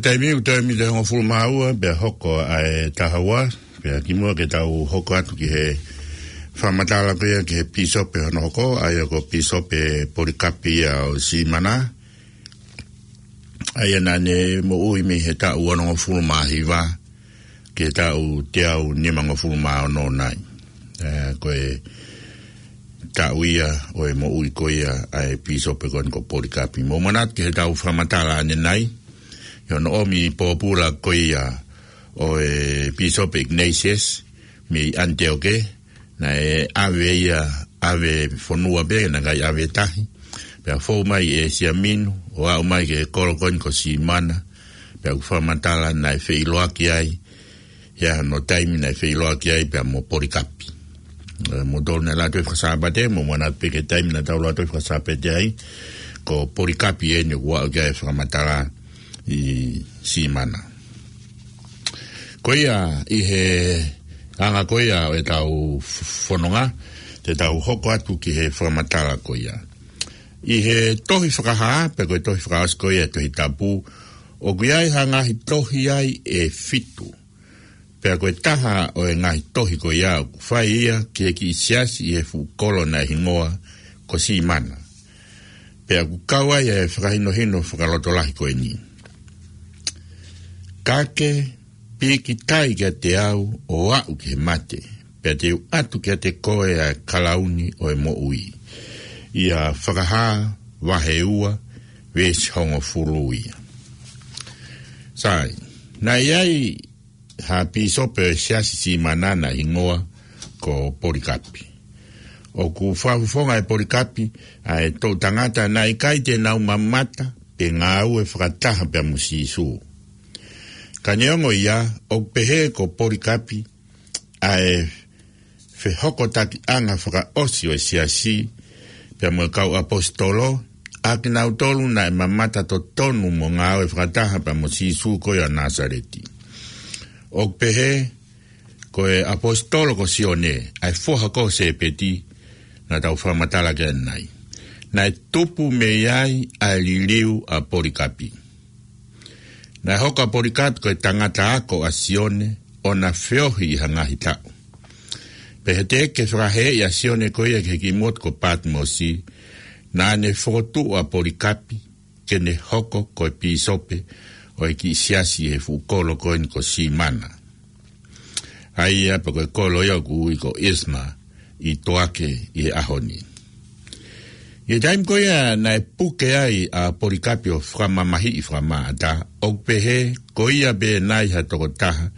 Taimi ʻoku toe miniti ʻe hongofulu mā ua pea hoko ʻa e taha ua, pea kimuʻa ke tau hoko atu ki he fakamatala ko ia ki he pīsope hono hoko, ʻa ia ko Pīsope Polikapi ia ʻo Simana. ʻA ia naʻa ne moʻui mei he taʻu onongofulu mā hiva ki he taʻu teau nimangofulu mā ono nai. Ē, ko e taʻu ia ʻo e moʻui ko ia ʻa e pīsope ko eni ko Polikapi. Mou manatu ki heʻetau fakamatala ʻanenai, ʻi hono ʻomi pōpula ko ia ʻo e Pīsope Ignatius mei ʻAniteoke, naʻe ʻave ia, ʻave fonua pē, naʻe ʻikai ʻave tahi. Pea fou mai ʻi ʻĒsia Minu, ʻo aʻu mai ki he kolo ko eni ko Simana, pea ʻoku fakamatala naʻe feʻiloaki ai, ʻi hono taimi naʻe feʻiloaki ai pea mo Polikapi. Ē, mou tolu naʻe Lātoi Fakasāpate, mou manatu pē ki he taimi naʻa tau Lātoi Fakasāpate ai, ko Polikapi eni ʻoku aʻu ki ai e fakamatala ʻi Simana. Ko ia ʻi he anga ko ia ʻo ʻetau fononga, te tau hoko atu ki he fakamatala ko ia. ʻI he tohi Fakahā, pe ko e tohi fakaʻosi ko ia ʻo e Tohi Tapu, ʻoku ʻi ai ha ngaahi tohi ai ʻe fitu. Pea ko e taha ʻo e ngaahi tohi ko ia ʻoku fai ia ki he kiʻi siasi ʻi he fuʻu kolo naʻe hingoa ko Simana. Pea ʻoku kau ai e fakahinohino fakalotolahi ko eni. Ka ke pīkitai kiate au ʻo aʻu ki he mate, pea te u ʻatu kiate koe ʻa e kalauni ʻo e moʻui. ʻIa Fakahā vahe ua, veesi hongofulu ia. Sai, naʻe ʻi ai ha pīsope ʻo e siasi Simana naʻe hingoa ko Polikapi. ʻOku fakafofonga ʻe Polikapi ʻa e toʻu tangata naʻe ʻikai te nau mamata pe ngāue fakataha pea mo Sīsū. Ka neongo ia, ʻoku pehē ko Polikapi ʻa e fehokotakiʻanga fakaʻosi ʻo e siasi pea mo e kau ʻaposetolo, ʻa kinautolu naʻe mamata totonu mo ngāue fakataha pea mo Sīsū ko ia ʻo Nāsaleti. ʻOku pehē ko e ʻaposetolo ko Sione, ʻa e foha ko Sēpeti, naʻa tau fakamatala ki ai ʻanenai, naʻe tupu mei ai ʻa e liliu ʻa Polikapi. Naʻe hoko ʻa Polikapi ko e tangata ako ʻa Sione, ʻo na feohi ʻi ha ngaahi taʻu. Pea ʻi he teʻeki ke fakaheeʻi ʻa Sione ko ia ki he kiʻi motu ko Patimosi, naʻa ne fokotuʻu ʻa Polikapi ke ne hoko ko e pīsope ʻo e kiʻi siasi ʻi he fuʻu kolo ko eni ko Simana. ʻA ia pea ko e kolo ia ʻoku ui ko Izmir ʻi Toake ʻi he ʻaho ni. ʻI he taimi ko ia naʻe puke ai ʻa Polikapi ʻo fakamamahiʻi fakamaʻata, ʻoku pehē ko ia pē nai ha tokotaha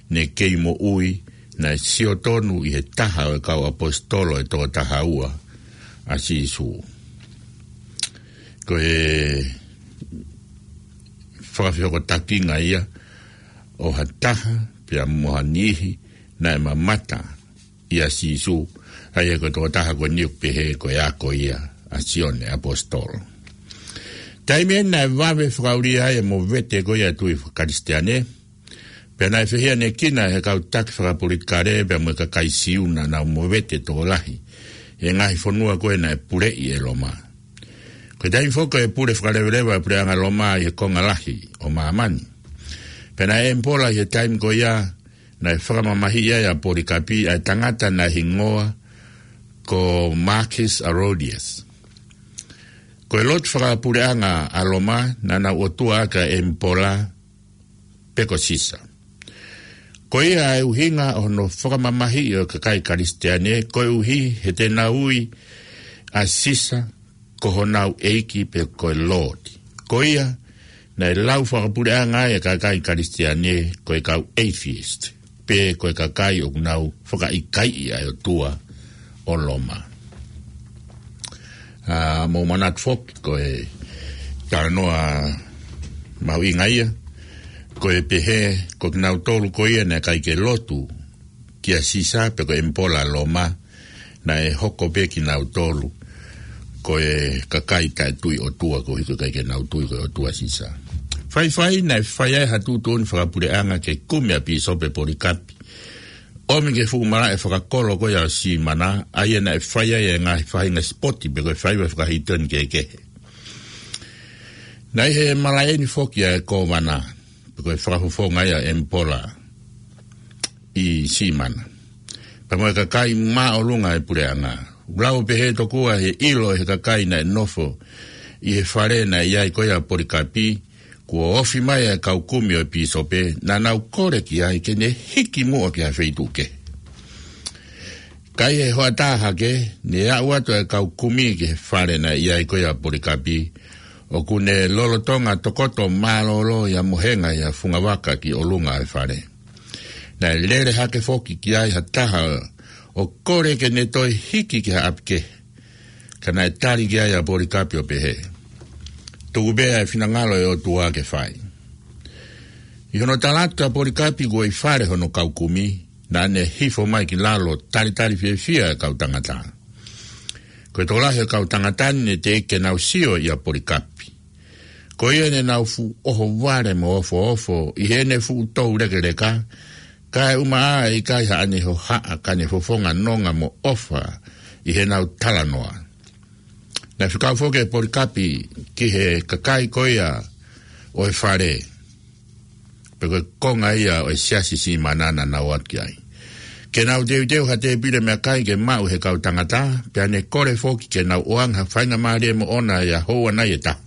ne kei moʻui naʻe sio tonu ʻi he taha ʻo e kau ʻaposetolo ʻe toko taha ua, ʻa Sīsū. Ko e fakafehokotakiʻanga ia ʻo ha taha pea mo ha niʻihi naʻe mamata ʻia Sīsū, ʻa ia ko e tokotaha ko eni ʻoku pehē ko e ako ia ʻa Sione ʻAposetolo. Taimi eni naʻe vave fakaʻulia ai e movete ko ia ʻa e tui faka-Kalisitiane, pea naʻe fehiʻanekina ʻe he kau taki fakapolitikale pea mo e kakai Siu naʻa nau movete tokolahi ʻi he ngaahi fonua ko ē naʻe puleʻi ʻe Loma. Ko e taimi foki ʻo e pule fakaleveleva ʻa e puleʻanga Loma ʻi he konga lahi ʻo māmani. Pea naʻe ʻemipola ʻi he taimi ko ia naʻe fakamamahiʻi ai ʻa Polikapi ʻa e tangata naʻe hingoa ko Marcus Aurelius. Ko e lotu fakapuleʻanga ʻa Loma naʻa nau ʻotua ʻaki ʻa e ʻemipola pe ko Sisa. Ko ia ʻa e ʻuhinga ʻo hono fakamamahiʻi ʻo e kakai Kalisitiane, koeʻuhi he te nau ui ʻa Sisa ko honau ʻeiki pe ko e Lord. Ko ia naʻe lau fakapuleʻanga ai ʻa e kakai Kalisitiane ko e kau atheist, pe ko e kakai ʻoku nau fakaʻikaiʻi ʻa e ʻotua ʻo Loma. ʻA, mou manatu foki ko e talanoa mahuʻinga ia, ko e pehē ko kinautolu ko ia naʻe ʻikai ke lotu kia Sisa pe ko e ʻemipola Loma, naʻe hoko pē kinautolu ko e kakai taʻetui ʻotua, koeʻuhi ko e ʻikai ke nau tui ko e ʻotua Sisa. Faifai naʻe fai ai ha tuʻutuʻuni fakapuleʻanga ke kumi ʻa Pīsope Polikapi, ʻomi ki he fuʻu malaʻe fakakolo ko ia ʻo Simana, ʻa ia naʻe fai ai e ngaahi faʻahinga sipoti pe ko e faiva fakahītoni kehekehe. Naʻe ʻi he malaʻe ni foki ʻa e kōvana. ko e fakafofonga ia ʻEmipola ʻi Simana, pea mo e kakai māʻolunga ʻo e puleʻanga. ʻOku lau pehē tokua ʻe he ʻilo ʻe he kakai naʻe nofo ʻi he fale naʻe ʻi ai ko ia ʻa Polikapi, kuo ofi mai ʻa e kau kumi ʻo e pīsope, naʻa nau kole ki ai ke ne hiki muʻa ki ha feituʻu kehe. Ka ʻi he hoʻatā hake, ne aʻu atu ʻa e kau kumi ki he fale naʻe ʻi ai ko ia ʻa Polikapi, ʻoku ne lolotonga tokoto mālōlō ʻi ha mohenga ʻi ha fungavaka ki ʻolunga ʻo e fale. Naʻe lele hake foki ki ai ha taha ʻo kole ke ne toe hiki ki ha ʻapi kehe. Ka naʻe tali ki ai ʻa Polikapi ʻo pehē, tuku pē ʻa e finangalo ʻo e ʻOtua ke fai. ʻI hono tala atu kia Polikapi kuo ʻi fale hono kau kumi, naʻa ne hifo mai ki lalo ʻo talitali fiefia ʻa e kau tangata. Ko e tokolahi ʻo e kau tangata ni ne teʻeki ke nau sio ʻia Polikapi. Ko ia ne nau fuʻu ʻohovale mo ofoofo ʻi heʻene fuʻu toulekeleka, kae ʻumaʻā ʻe ʻikai haʻane hohaʻa ka ne fofonga nonga mo ʻofa ʻi heʻenau talanoa. Naʻe fekau foki ʻe Polikapi ki he kakai ko ia ʻo e fale, pe ko e konga ia ʻo e siasi Simana naʻa nau ō ki ai, ke nau teuteu ha tēpile meʻakai ke maʻu ʻe he kau tangata, pea ne kole foki ke nau ʻoange ha faingamālie moʻona ʻi ha houa nai ʻe taha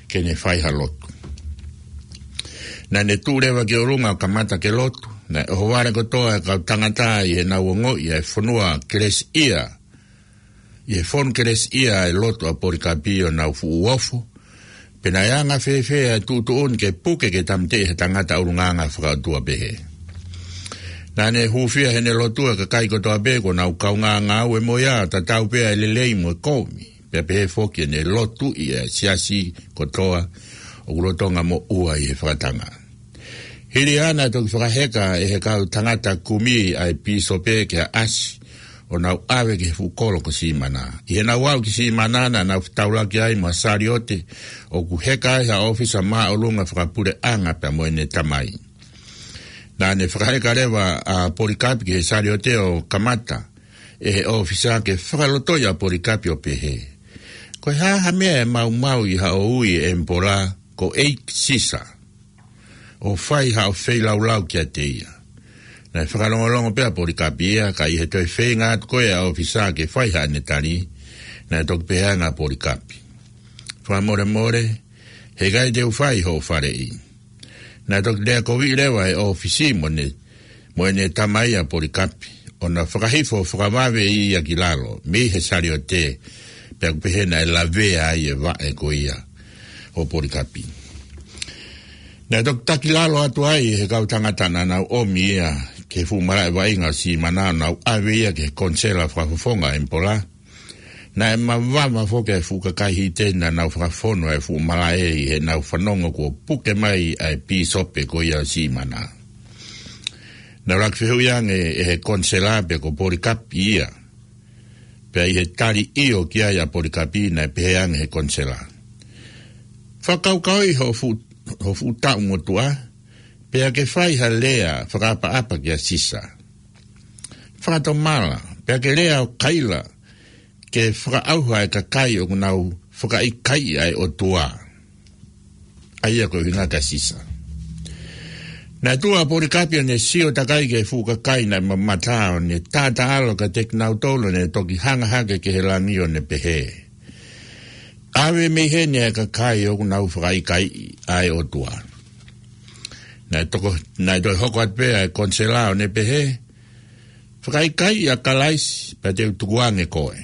ke ne fai ha lotu. Naʻa ne tuʻu leva ki ʻolunga ʻo kamata ke lotu. Naʻe ʻohovale kotoa ʻa e kau tangata ʻi heʻenau ongoʻi ʻa e fonua kelesiʻia, ʻi he fonu kelesiʻia ʻa e lotu ʻa Polikapi ʻo nau fuʻu ofo, pe naʻe anga fēfē ʻa e tuʻutuʻuni ke puke ke tāmateʻi ha tangata ʻulungaanga fakaʻotua pehē. Naʻa ne hūfia heʻene lotu ʻa e kakai kotoa pē kuo nau kaungā ngāue mo ia, tatau pē ʻa e lelei mo e kovi, pea pehē foki ʻene lotuʻi ʻa e siasi kotoa ʻoku lolotonga moʻua ʻi he fakatanga. Hili ia naʻe toki fakaheka ʻe he kau tangata kumi ʻa e pīsope ki ha ʻasi ʻo nau ʻave ki he fuʻu kolo ko Simana. ʻI heʻenau aʻu ki Simana, naʻa nau fetaulaki ai mo ha saliote ʻoku heka ai ha ʻōfisa māʻolunga fakapuleʻanga pea mo ʻene tamai. Naʻa ne fakaheka leva ʻa Polikapi ki he saliote ʻo kamata ʻe he ʻōfisa ke fakalotoʻi ʻa Polikapi ʻo pehē, ko e hā ha meʻa ʻe maumau ʻi haʻo ui ʻe ʻEmipola ko ʻEiki Sisa, ʻo fai haʻo feilaulau kiate ia? Naʻe fakalongolongo pē ʻa Polikapi ia, ka ʻi he toe feinga atu ko ia ʻa e ʻōfisa ke fai haʻane tali, naʻe toki pehē ange ʻa Polikapi, fakamolemole, heʻikai te u fai hoʻo faleʻi. Naʻe toki lea koviʻi leva ʻe he ʻōfisa mo ʻene, mo ʻene tamai ʻa Polikapi, ʻo na fakahifo fakavave ia ki lalo mei he saliote, pea ʻoku pehē naʻe lavea ai e vaʻe ko ia ʻo Polikapi. Naʻe toki taki lalo atu ai ʻe he kau tangata naʻa nau ʻomi ia ki he fuʻu malaʻe vaʻinga ʻo Simana, ʻo nau ʻave ia ki he konisela fakafofonga ʻo ʻEmipola. Naʻe mavava foki ʻa e fuʻu kakai hīteni naʻa nau fakafonu ʻa e fuʻu malaʻe ʻi heʻenau fanongo kuo puke mai ʻa e pīsope ko ia ʻo Simana. Naʻe ʻuluaki fehuʻi ange ʻe he konisela pe ko Polikapi ia. Pea ʻi he tali ʻio ki ai ʻa Polikapi, naʻe pehē ange ʻe he konisela, fakakaukauʻi ho fuʻu, ho fuʻu taʻu motuʻa, pea ke fai ha lea fakaʻapaʻapa kia Sisa. Fakatomala, pea ke lea ʻo kaila ke fakaʻauha e kakai ʻoku nau fakaʻikaiʻi ʻa e ʻOtua, ʻa ia ko e ʻuhinga kia Sisa. Naʻe tuʻu ʻa Polikapi ʻo ne sio takai ki he fuʻu kakai naʻe mamata, ʻo ne taʻataʻalo kiate kinautolu, ʻo ne toki hanga hake ki he langi ʻo ne pehē, ʻave mei heni ʻa e kakai ʻoku nau fakaʻikaiʻi ʻa e ʻOtua. Naʻe toko, naʻe toe hoko atu pē ʻa e konisela ʻo ne pehē, fakaʻikaiʻi ʻa Kalaisi pea te u tukuange koe.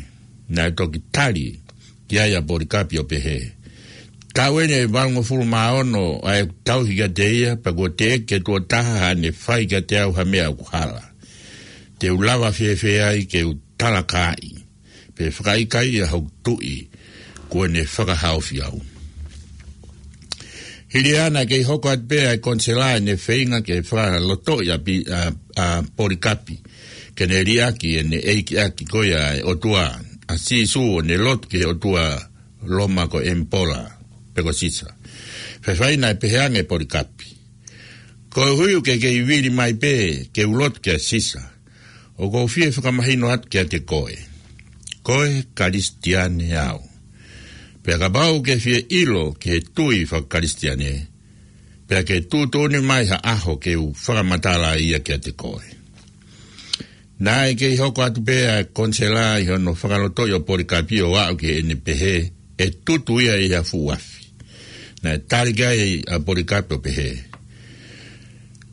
Naʻe toki tali ki ai ʻa Polikapi ʻo pehē, taʻu eni ʻe valungofulu mā ono ʻa ʻeku tauhi kiate ia, pea kuo teʻeki ke tuʻo taha haʻane fai kiate au ha meʻa ʻoku hala. Te u lava fēfē ai ke u talakaaʻi pe fakaʻikaiʻi ʻa hoku tuʻi kuo ne fakahaofi au? Hili ia naʻe kei hoko atu pē ʻa e konisela ʻene feinga ke fakalotoʻi ʻa Pi-, ʻa, ʻa Polikapi ke ne liʻaki ʻene ʻeikiʻaki ko ia ʻa e ʻOtua, ʻa Sīsū, ʻo ne lotu ki he ʻotua Loma ko ʻEmipola, pe ko Sisa. Faifai naʻe pehē ange ʻe Polikapi, koeʻuhi ʻoku ke kei vili mai pē ke u lotu kia Sisa, ʻoku ou fie fakamahino atu kiate koe, ko e Kalisitiane au. Pea kapau ʻoku ke fie ʻilo ki he tui fakakalisitiane, pea ke tuʻutuʻuni mai ha ʻaho ke u fakamatala ia kiate koe. Naʻe kei hoko atu pē ʻa e konisela ʻi hono fakalotoʻi ʻo Polikapi ʻo aʻu ki heʻene pehē ʻe tutu ia ʻi ha fuʻu afi. Naʻe tali ki ai ʻa Polikapi ʻo pehē,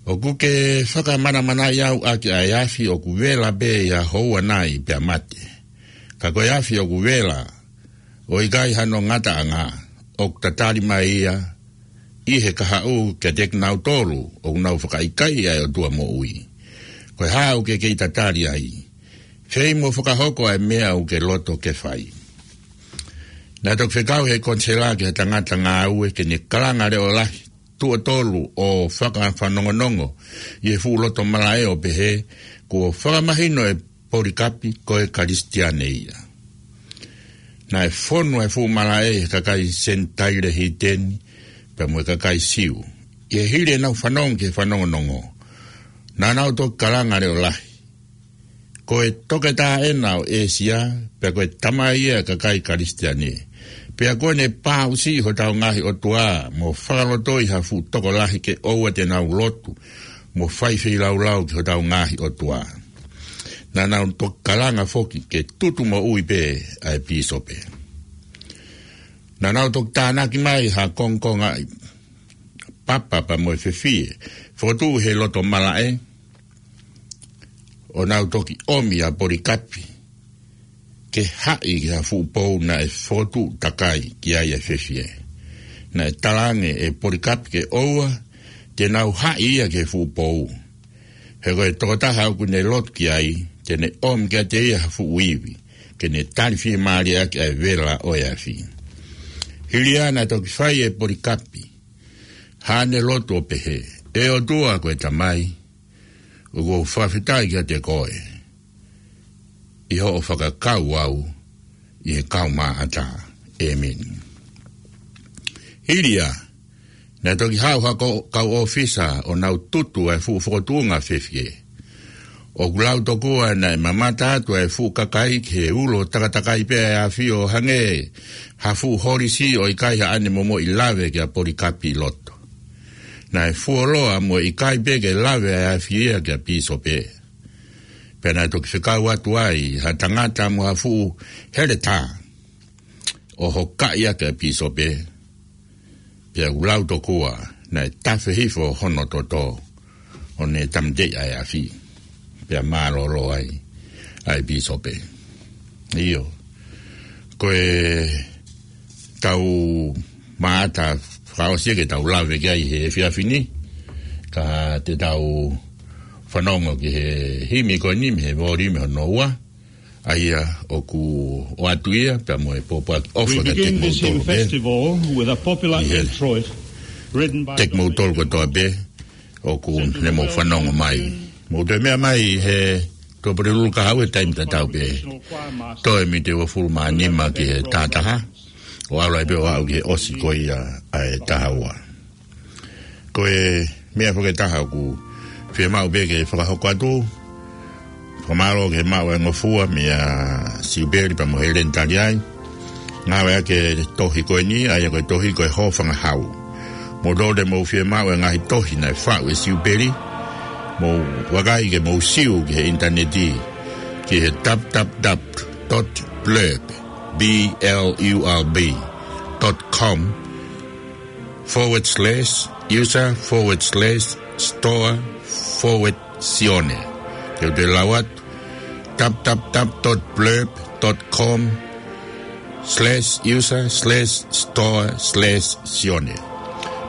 ʻoku ke fakamanamanaʻi au ʻaki ʻa e afi ʻoku vela pē ʻi ha houa nai pea mate. Ka ko e afi ʻoku vela ʻo ʻikai hano ngataʻanga, ʻoku tatali mai ia ʻi he kahaʻu kiate kinautolu ʻoku nau fakaʻikaiʻi ʻa e ʻOtua moʻui. Ko e hā ʻoku ke kei tatali ai? Fei mo fakahoko ʻa e meʻa ʻoku ke loto ke fai. Naʻe toki fekau ʻe he konisela ki ha tangata ngāue ke ne kalanga leʻo lahi tuʻo tolu ʻo fakafanongonongo ʻi he fuʻu loto malaʻe ʻo pehē, kuo fakamahino ʻe Polikapi ko e Kalisitiane ia. Naʻe fonu ʻa e fuʻu malaʻe ʻi he kakai Senitaile hīteni pea mo e kakai Siu. ʻI he hili ʻenau fanongo ki he fanongonongo, naʻa nau toki kalanga leʻo lahi, ko e toketā ʻena ʻo ʻĒsia, pea ko e tamai ia ʻo e kakai Kalisitiane. Pea kuo ne pāʻusiʻi hotau ngaahi ʻotua mo fakalotoʻi ha fuʻu tokolahi ke ʻoua te nau lotu mo fai feilaulau ki hotau ngaahi ʻotua. Naʻa nau toki kalanga foki ke tutu moʻui pē ʻa e pīsope. Naʻa nau toki tānaki mai ha kongokonga ʻi papa pea mo e fefie, fokotuʻu he loto malaʻe, ʻo nau toki ʻomi ʻa Polikapi ke haʻi ki ha fuʻu pou naʻe fokotuʻu takai ki ai ʻa e fefie. Naʻe talaange ʻe Polikapi ke ʻoua te nau haʻi ia ki he fuʻu pou. He ko e tokotaha ʻoku ne lotu ki ai, te ne ʻomi kiate ia ha fuʻu ivi, ke ne tali fiemālie ʻaki ʻa e vela ʻo e afi. Hili ia naʻe toki fai ʻe Polikapi haʻane lotu ʻo pehē, ʻE ʻOtua ko e Tamai, ʻoku ou fakafetaʻi kiate koe ʻi hoʻo fakakau au ʻi he kau maʻata. ʻĒmeni. Hili ia, naʻe toki haʻu ha ko-, kau ʻōfisa ʻo nau tutu ʻa e fuʻu fokotuʻunga fefie. ʻOku lau tokua naʻe mamata atu ʻa e fuʻu kakai ki he ulo takatakai pē ʻa e afi ʻo hangē ha fuʻu holisi ʻo ʻikai haʻane momoʻi lave kia Polikapi ʻi loto. Naʻe fuoloa mo e ʻikai pē ke lave ʻa e afi ia kia pīsope. Pea naʻe toki fekau atu ai ha tangata mo ha fuʻu heletā ʻo hokaʻi ʻaki ʻa e pīsope. Pea ʻoku lau tokua naʻe tafe hifo hono toto ʻo ne tāmateʻi ʻa e afi. Pea mālōlō ai ʻa e pīsope. ʻIo. Ko e tau maʻata fakaʻosi ke tau lave ki ai he efiafi ni, ka te tau fanongo ki he himi ko eni mei he volume hono ua, ʻa ia ʻoku ʻoatu ia pea mo e pōpoaki ʻofa kiate kimoutolu pē. Ri he teki moutolu kotoa pē ʻoku ne mou fanongo mai. Mou toe meʻa mai he Tuʻapulelulu ka haʻu he taimi tatau pē. Toe miniti ʻe uofulu mā nima ki he taha taha, ʻo ʻalu ai pē ʻo aʻu ki he ʻosi ko ia ʻa e taha ua. Ko e meʻa foki ʻe taha ʻoku fiemaʻu pē ke fakahoko atu, fakamālō ki he maʻu ʻa e ngofua meia Siupeli pea mo Heleni Taliai. Ngāueʻaki e tohi ko eni, ʻa ia ko e tohi ko e Hōfangahau. Mou toe mou fiemaʻu e ngaahi tohi naʻe faʻu ʻe Siupeli, mou vakai ke mou siu ki he ʻinitaneti, ki he www dot blurb, B L U R B, dot com forward slash user forward slash store forward Sione. Ke u toe lau atu, www dot blurb dot com slash user slash store slash Sione.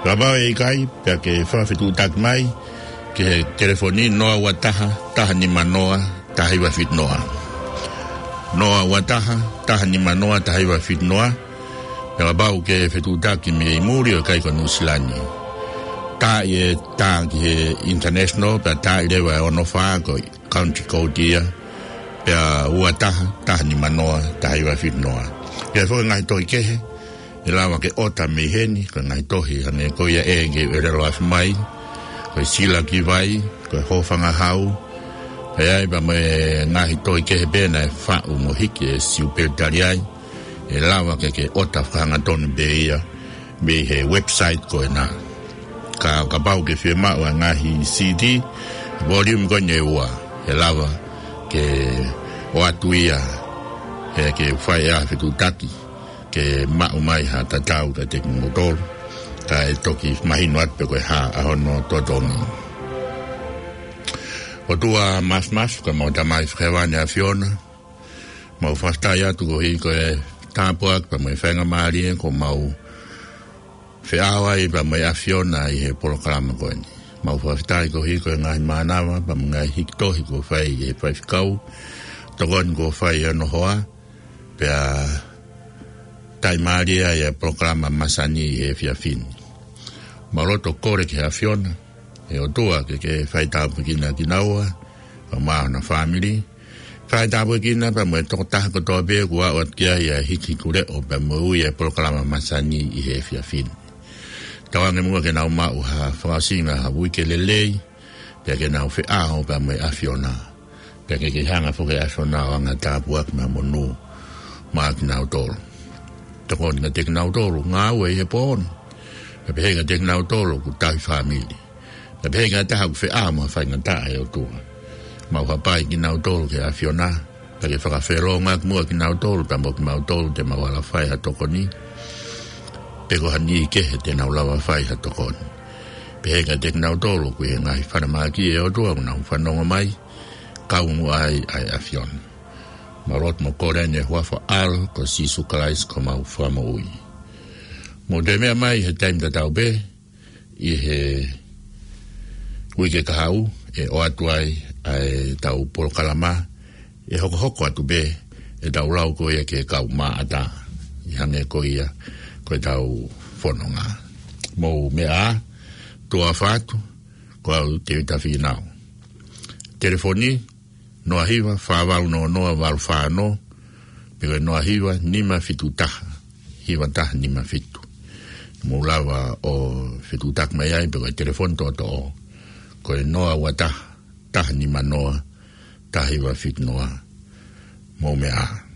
Kapau ʻe ʻikai, pea ke fakafetuʻutaki mai ki he telefoni noa ua taha, taha nima noa, taha hiva fitu noa. Noa ua taha, taha nima noa, taha hiva fitu noa. Pea kapau ʻoku ke fetuʻutaki mei muli ʻo ʻikai ko Nuʻusila ni, tā ʻi he tā ki he international, pea tā ʻi leva ʻe ono fā ko e country code ia, pea ua taha, taha nima noa, taha hiva fitu noa. Pea foki ngaahi tohi kehe ʻe lava ke ʻota mei heni, ko e ngaahi tohi hangē ko ia ʻe ke ʻelelo afi mai, ko e Sila ki Vai, ko e Hōfangahau, pea ʻi ai pea mo e ngaahi tohi kehe pē naʻe faʻu mo hiki ʻe Siupeli Taliai, ʻe lava ke ke ʻota fakahangatonu pē ia mei he website ko ena. Ka, kapau ke fiemaʻu ʻa e ngaahi CD, volume ko eni ʻe ua, ʻe lava ke ʻoatu ia, ʻe ke fai ʻa e fetuʻutaki, ke maʻu mai ha tatau kiate kimoutolu, kae toki mahino atu pe ko e hā ʻa hono totongi. ʻOtua Māfimafi, ko ʻemau Tamai Fakahēvani ʻAfiona, mau fakafetaʻi atu koeʻuhi ko e tāpuaki pea mo e faingamālie kuo mau feʻao ai pea mo e ʻAfiona ʻi he polokalama ko eni. Mau fakafetaʻi koeʻuhi ko e ngaahi mānava pea mo e ngaahi hiki tohi kuo fai ʻe he faifekau, tokoni kuo fai ʻi hono hoa, pea taʻimālie ai ʻa e polokalama masani ʻi he efiafi ni. Mau loto kole ki he ʻAfiona, ʻe ʻOtua, ke ke fai tāpuekina kinaua, pea mo hona fāmili. Fai tāpuekina pea mo e tokotaha kotoa pē kuo aʻu atu ki ai ʻa e hiki hiku leʻo pea mo e ui ʻa e polokalama masani ʻi he efiafi ni. Tauange muʻa ke nau maʻu ha fakaʻosinga ha uike lelei, pea ke nau feʻao pea mo e ʻAfiona. Pea ke ke hanga foki ʻe ʻAfiona ʻo anga tāpuaki mo e monū maʻa kinautolu. Tokoni kiate kinautolu ngāue ʻi he pō ni. Pea pehē kiate kinautolu ʻoku tauhi fāmili. Pea pehē ki ha taha ʻoku feʻao mo ha faingataʻa, ʻe ʻOtua. Mau hapai kinautolu ki he ʻAfiona. Pea ke fakafelongoaki muʻa kinautolu, pea mo kimautolu te mau ala fai ha tokoni. Pe ko ha niʻihi kehe te nau lava fai ha tokoni. Pehē kiate kinautolu ʻoku ʻi he ngaahi falemahaki, ʻe ʻOtua, ʻoku nau fanongo mai, kau muʻa ai ʻa e ʻAfiona. Mau lotu mo kole ʻeni ʻi he huafa ʻo ho ʻAlo ko Sīsū Kalaisi ko homau Fakamoʻui. Mou toe meʻa mai he taimi tatau pē ʻi he uike kahaʻu, ʻe ʻoatu ai ʻa ʻetau polokalama, ʻe hokohoko atu pē ʻetau lau ko ia ki he kau maʻata, ʻi hangē ko ia ko ʻetau fononga. Mou meʻa ā, tuʻa ʻofa atu, ko au Tēvita Fīnau. Telefoni, noa hiva fā valu noa noa valu fā ono, pe ko e noa hiva nima fitu taha, hiva taha nima fitu. Mou lava ʻo fetuʻutaki mai ai pe ko e telefoni toʻotoʻo, ko e noa ua taha, taha nima noa, taha hiva fitu noa. Mou meʻa ā.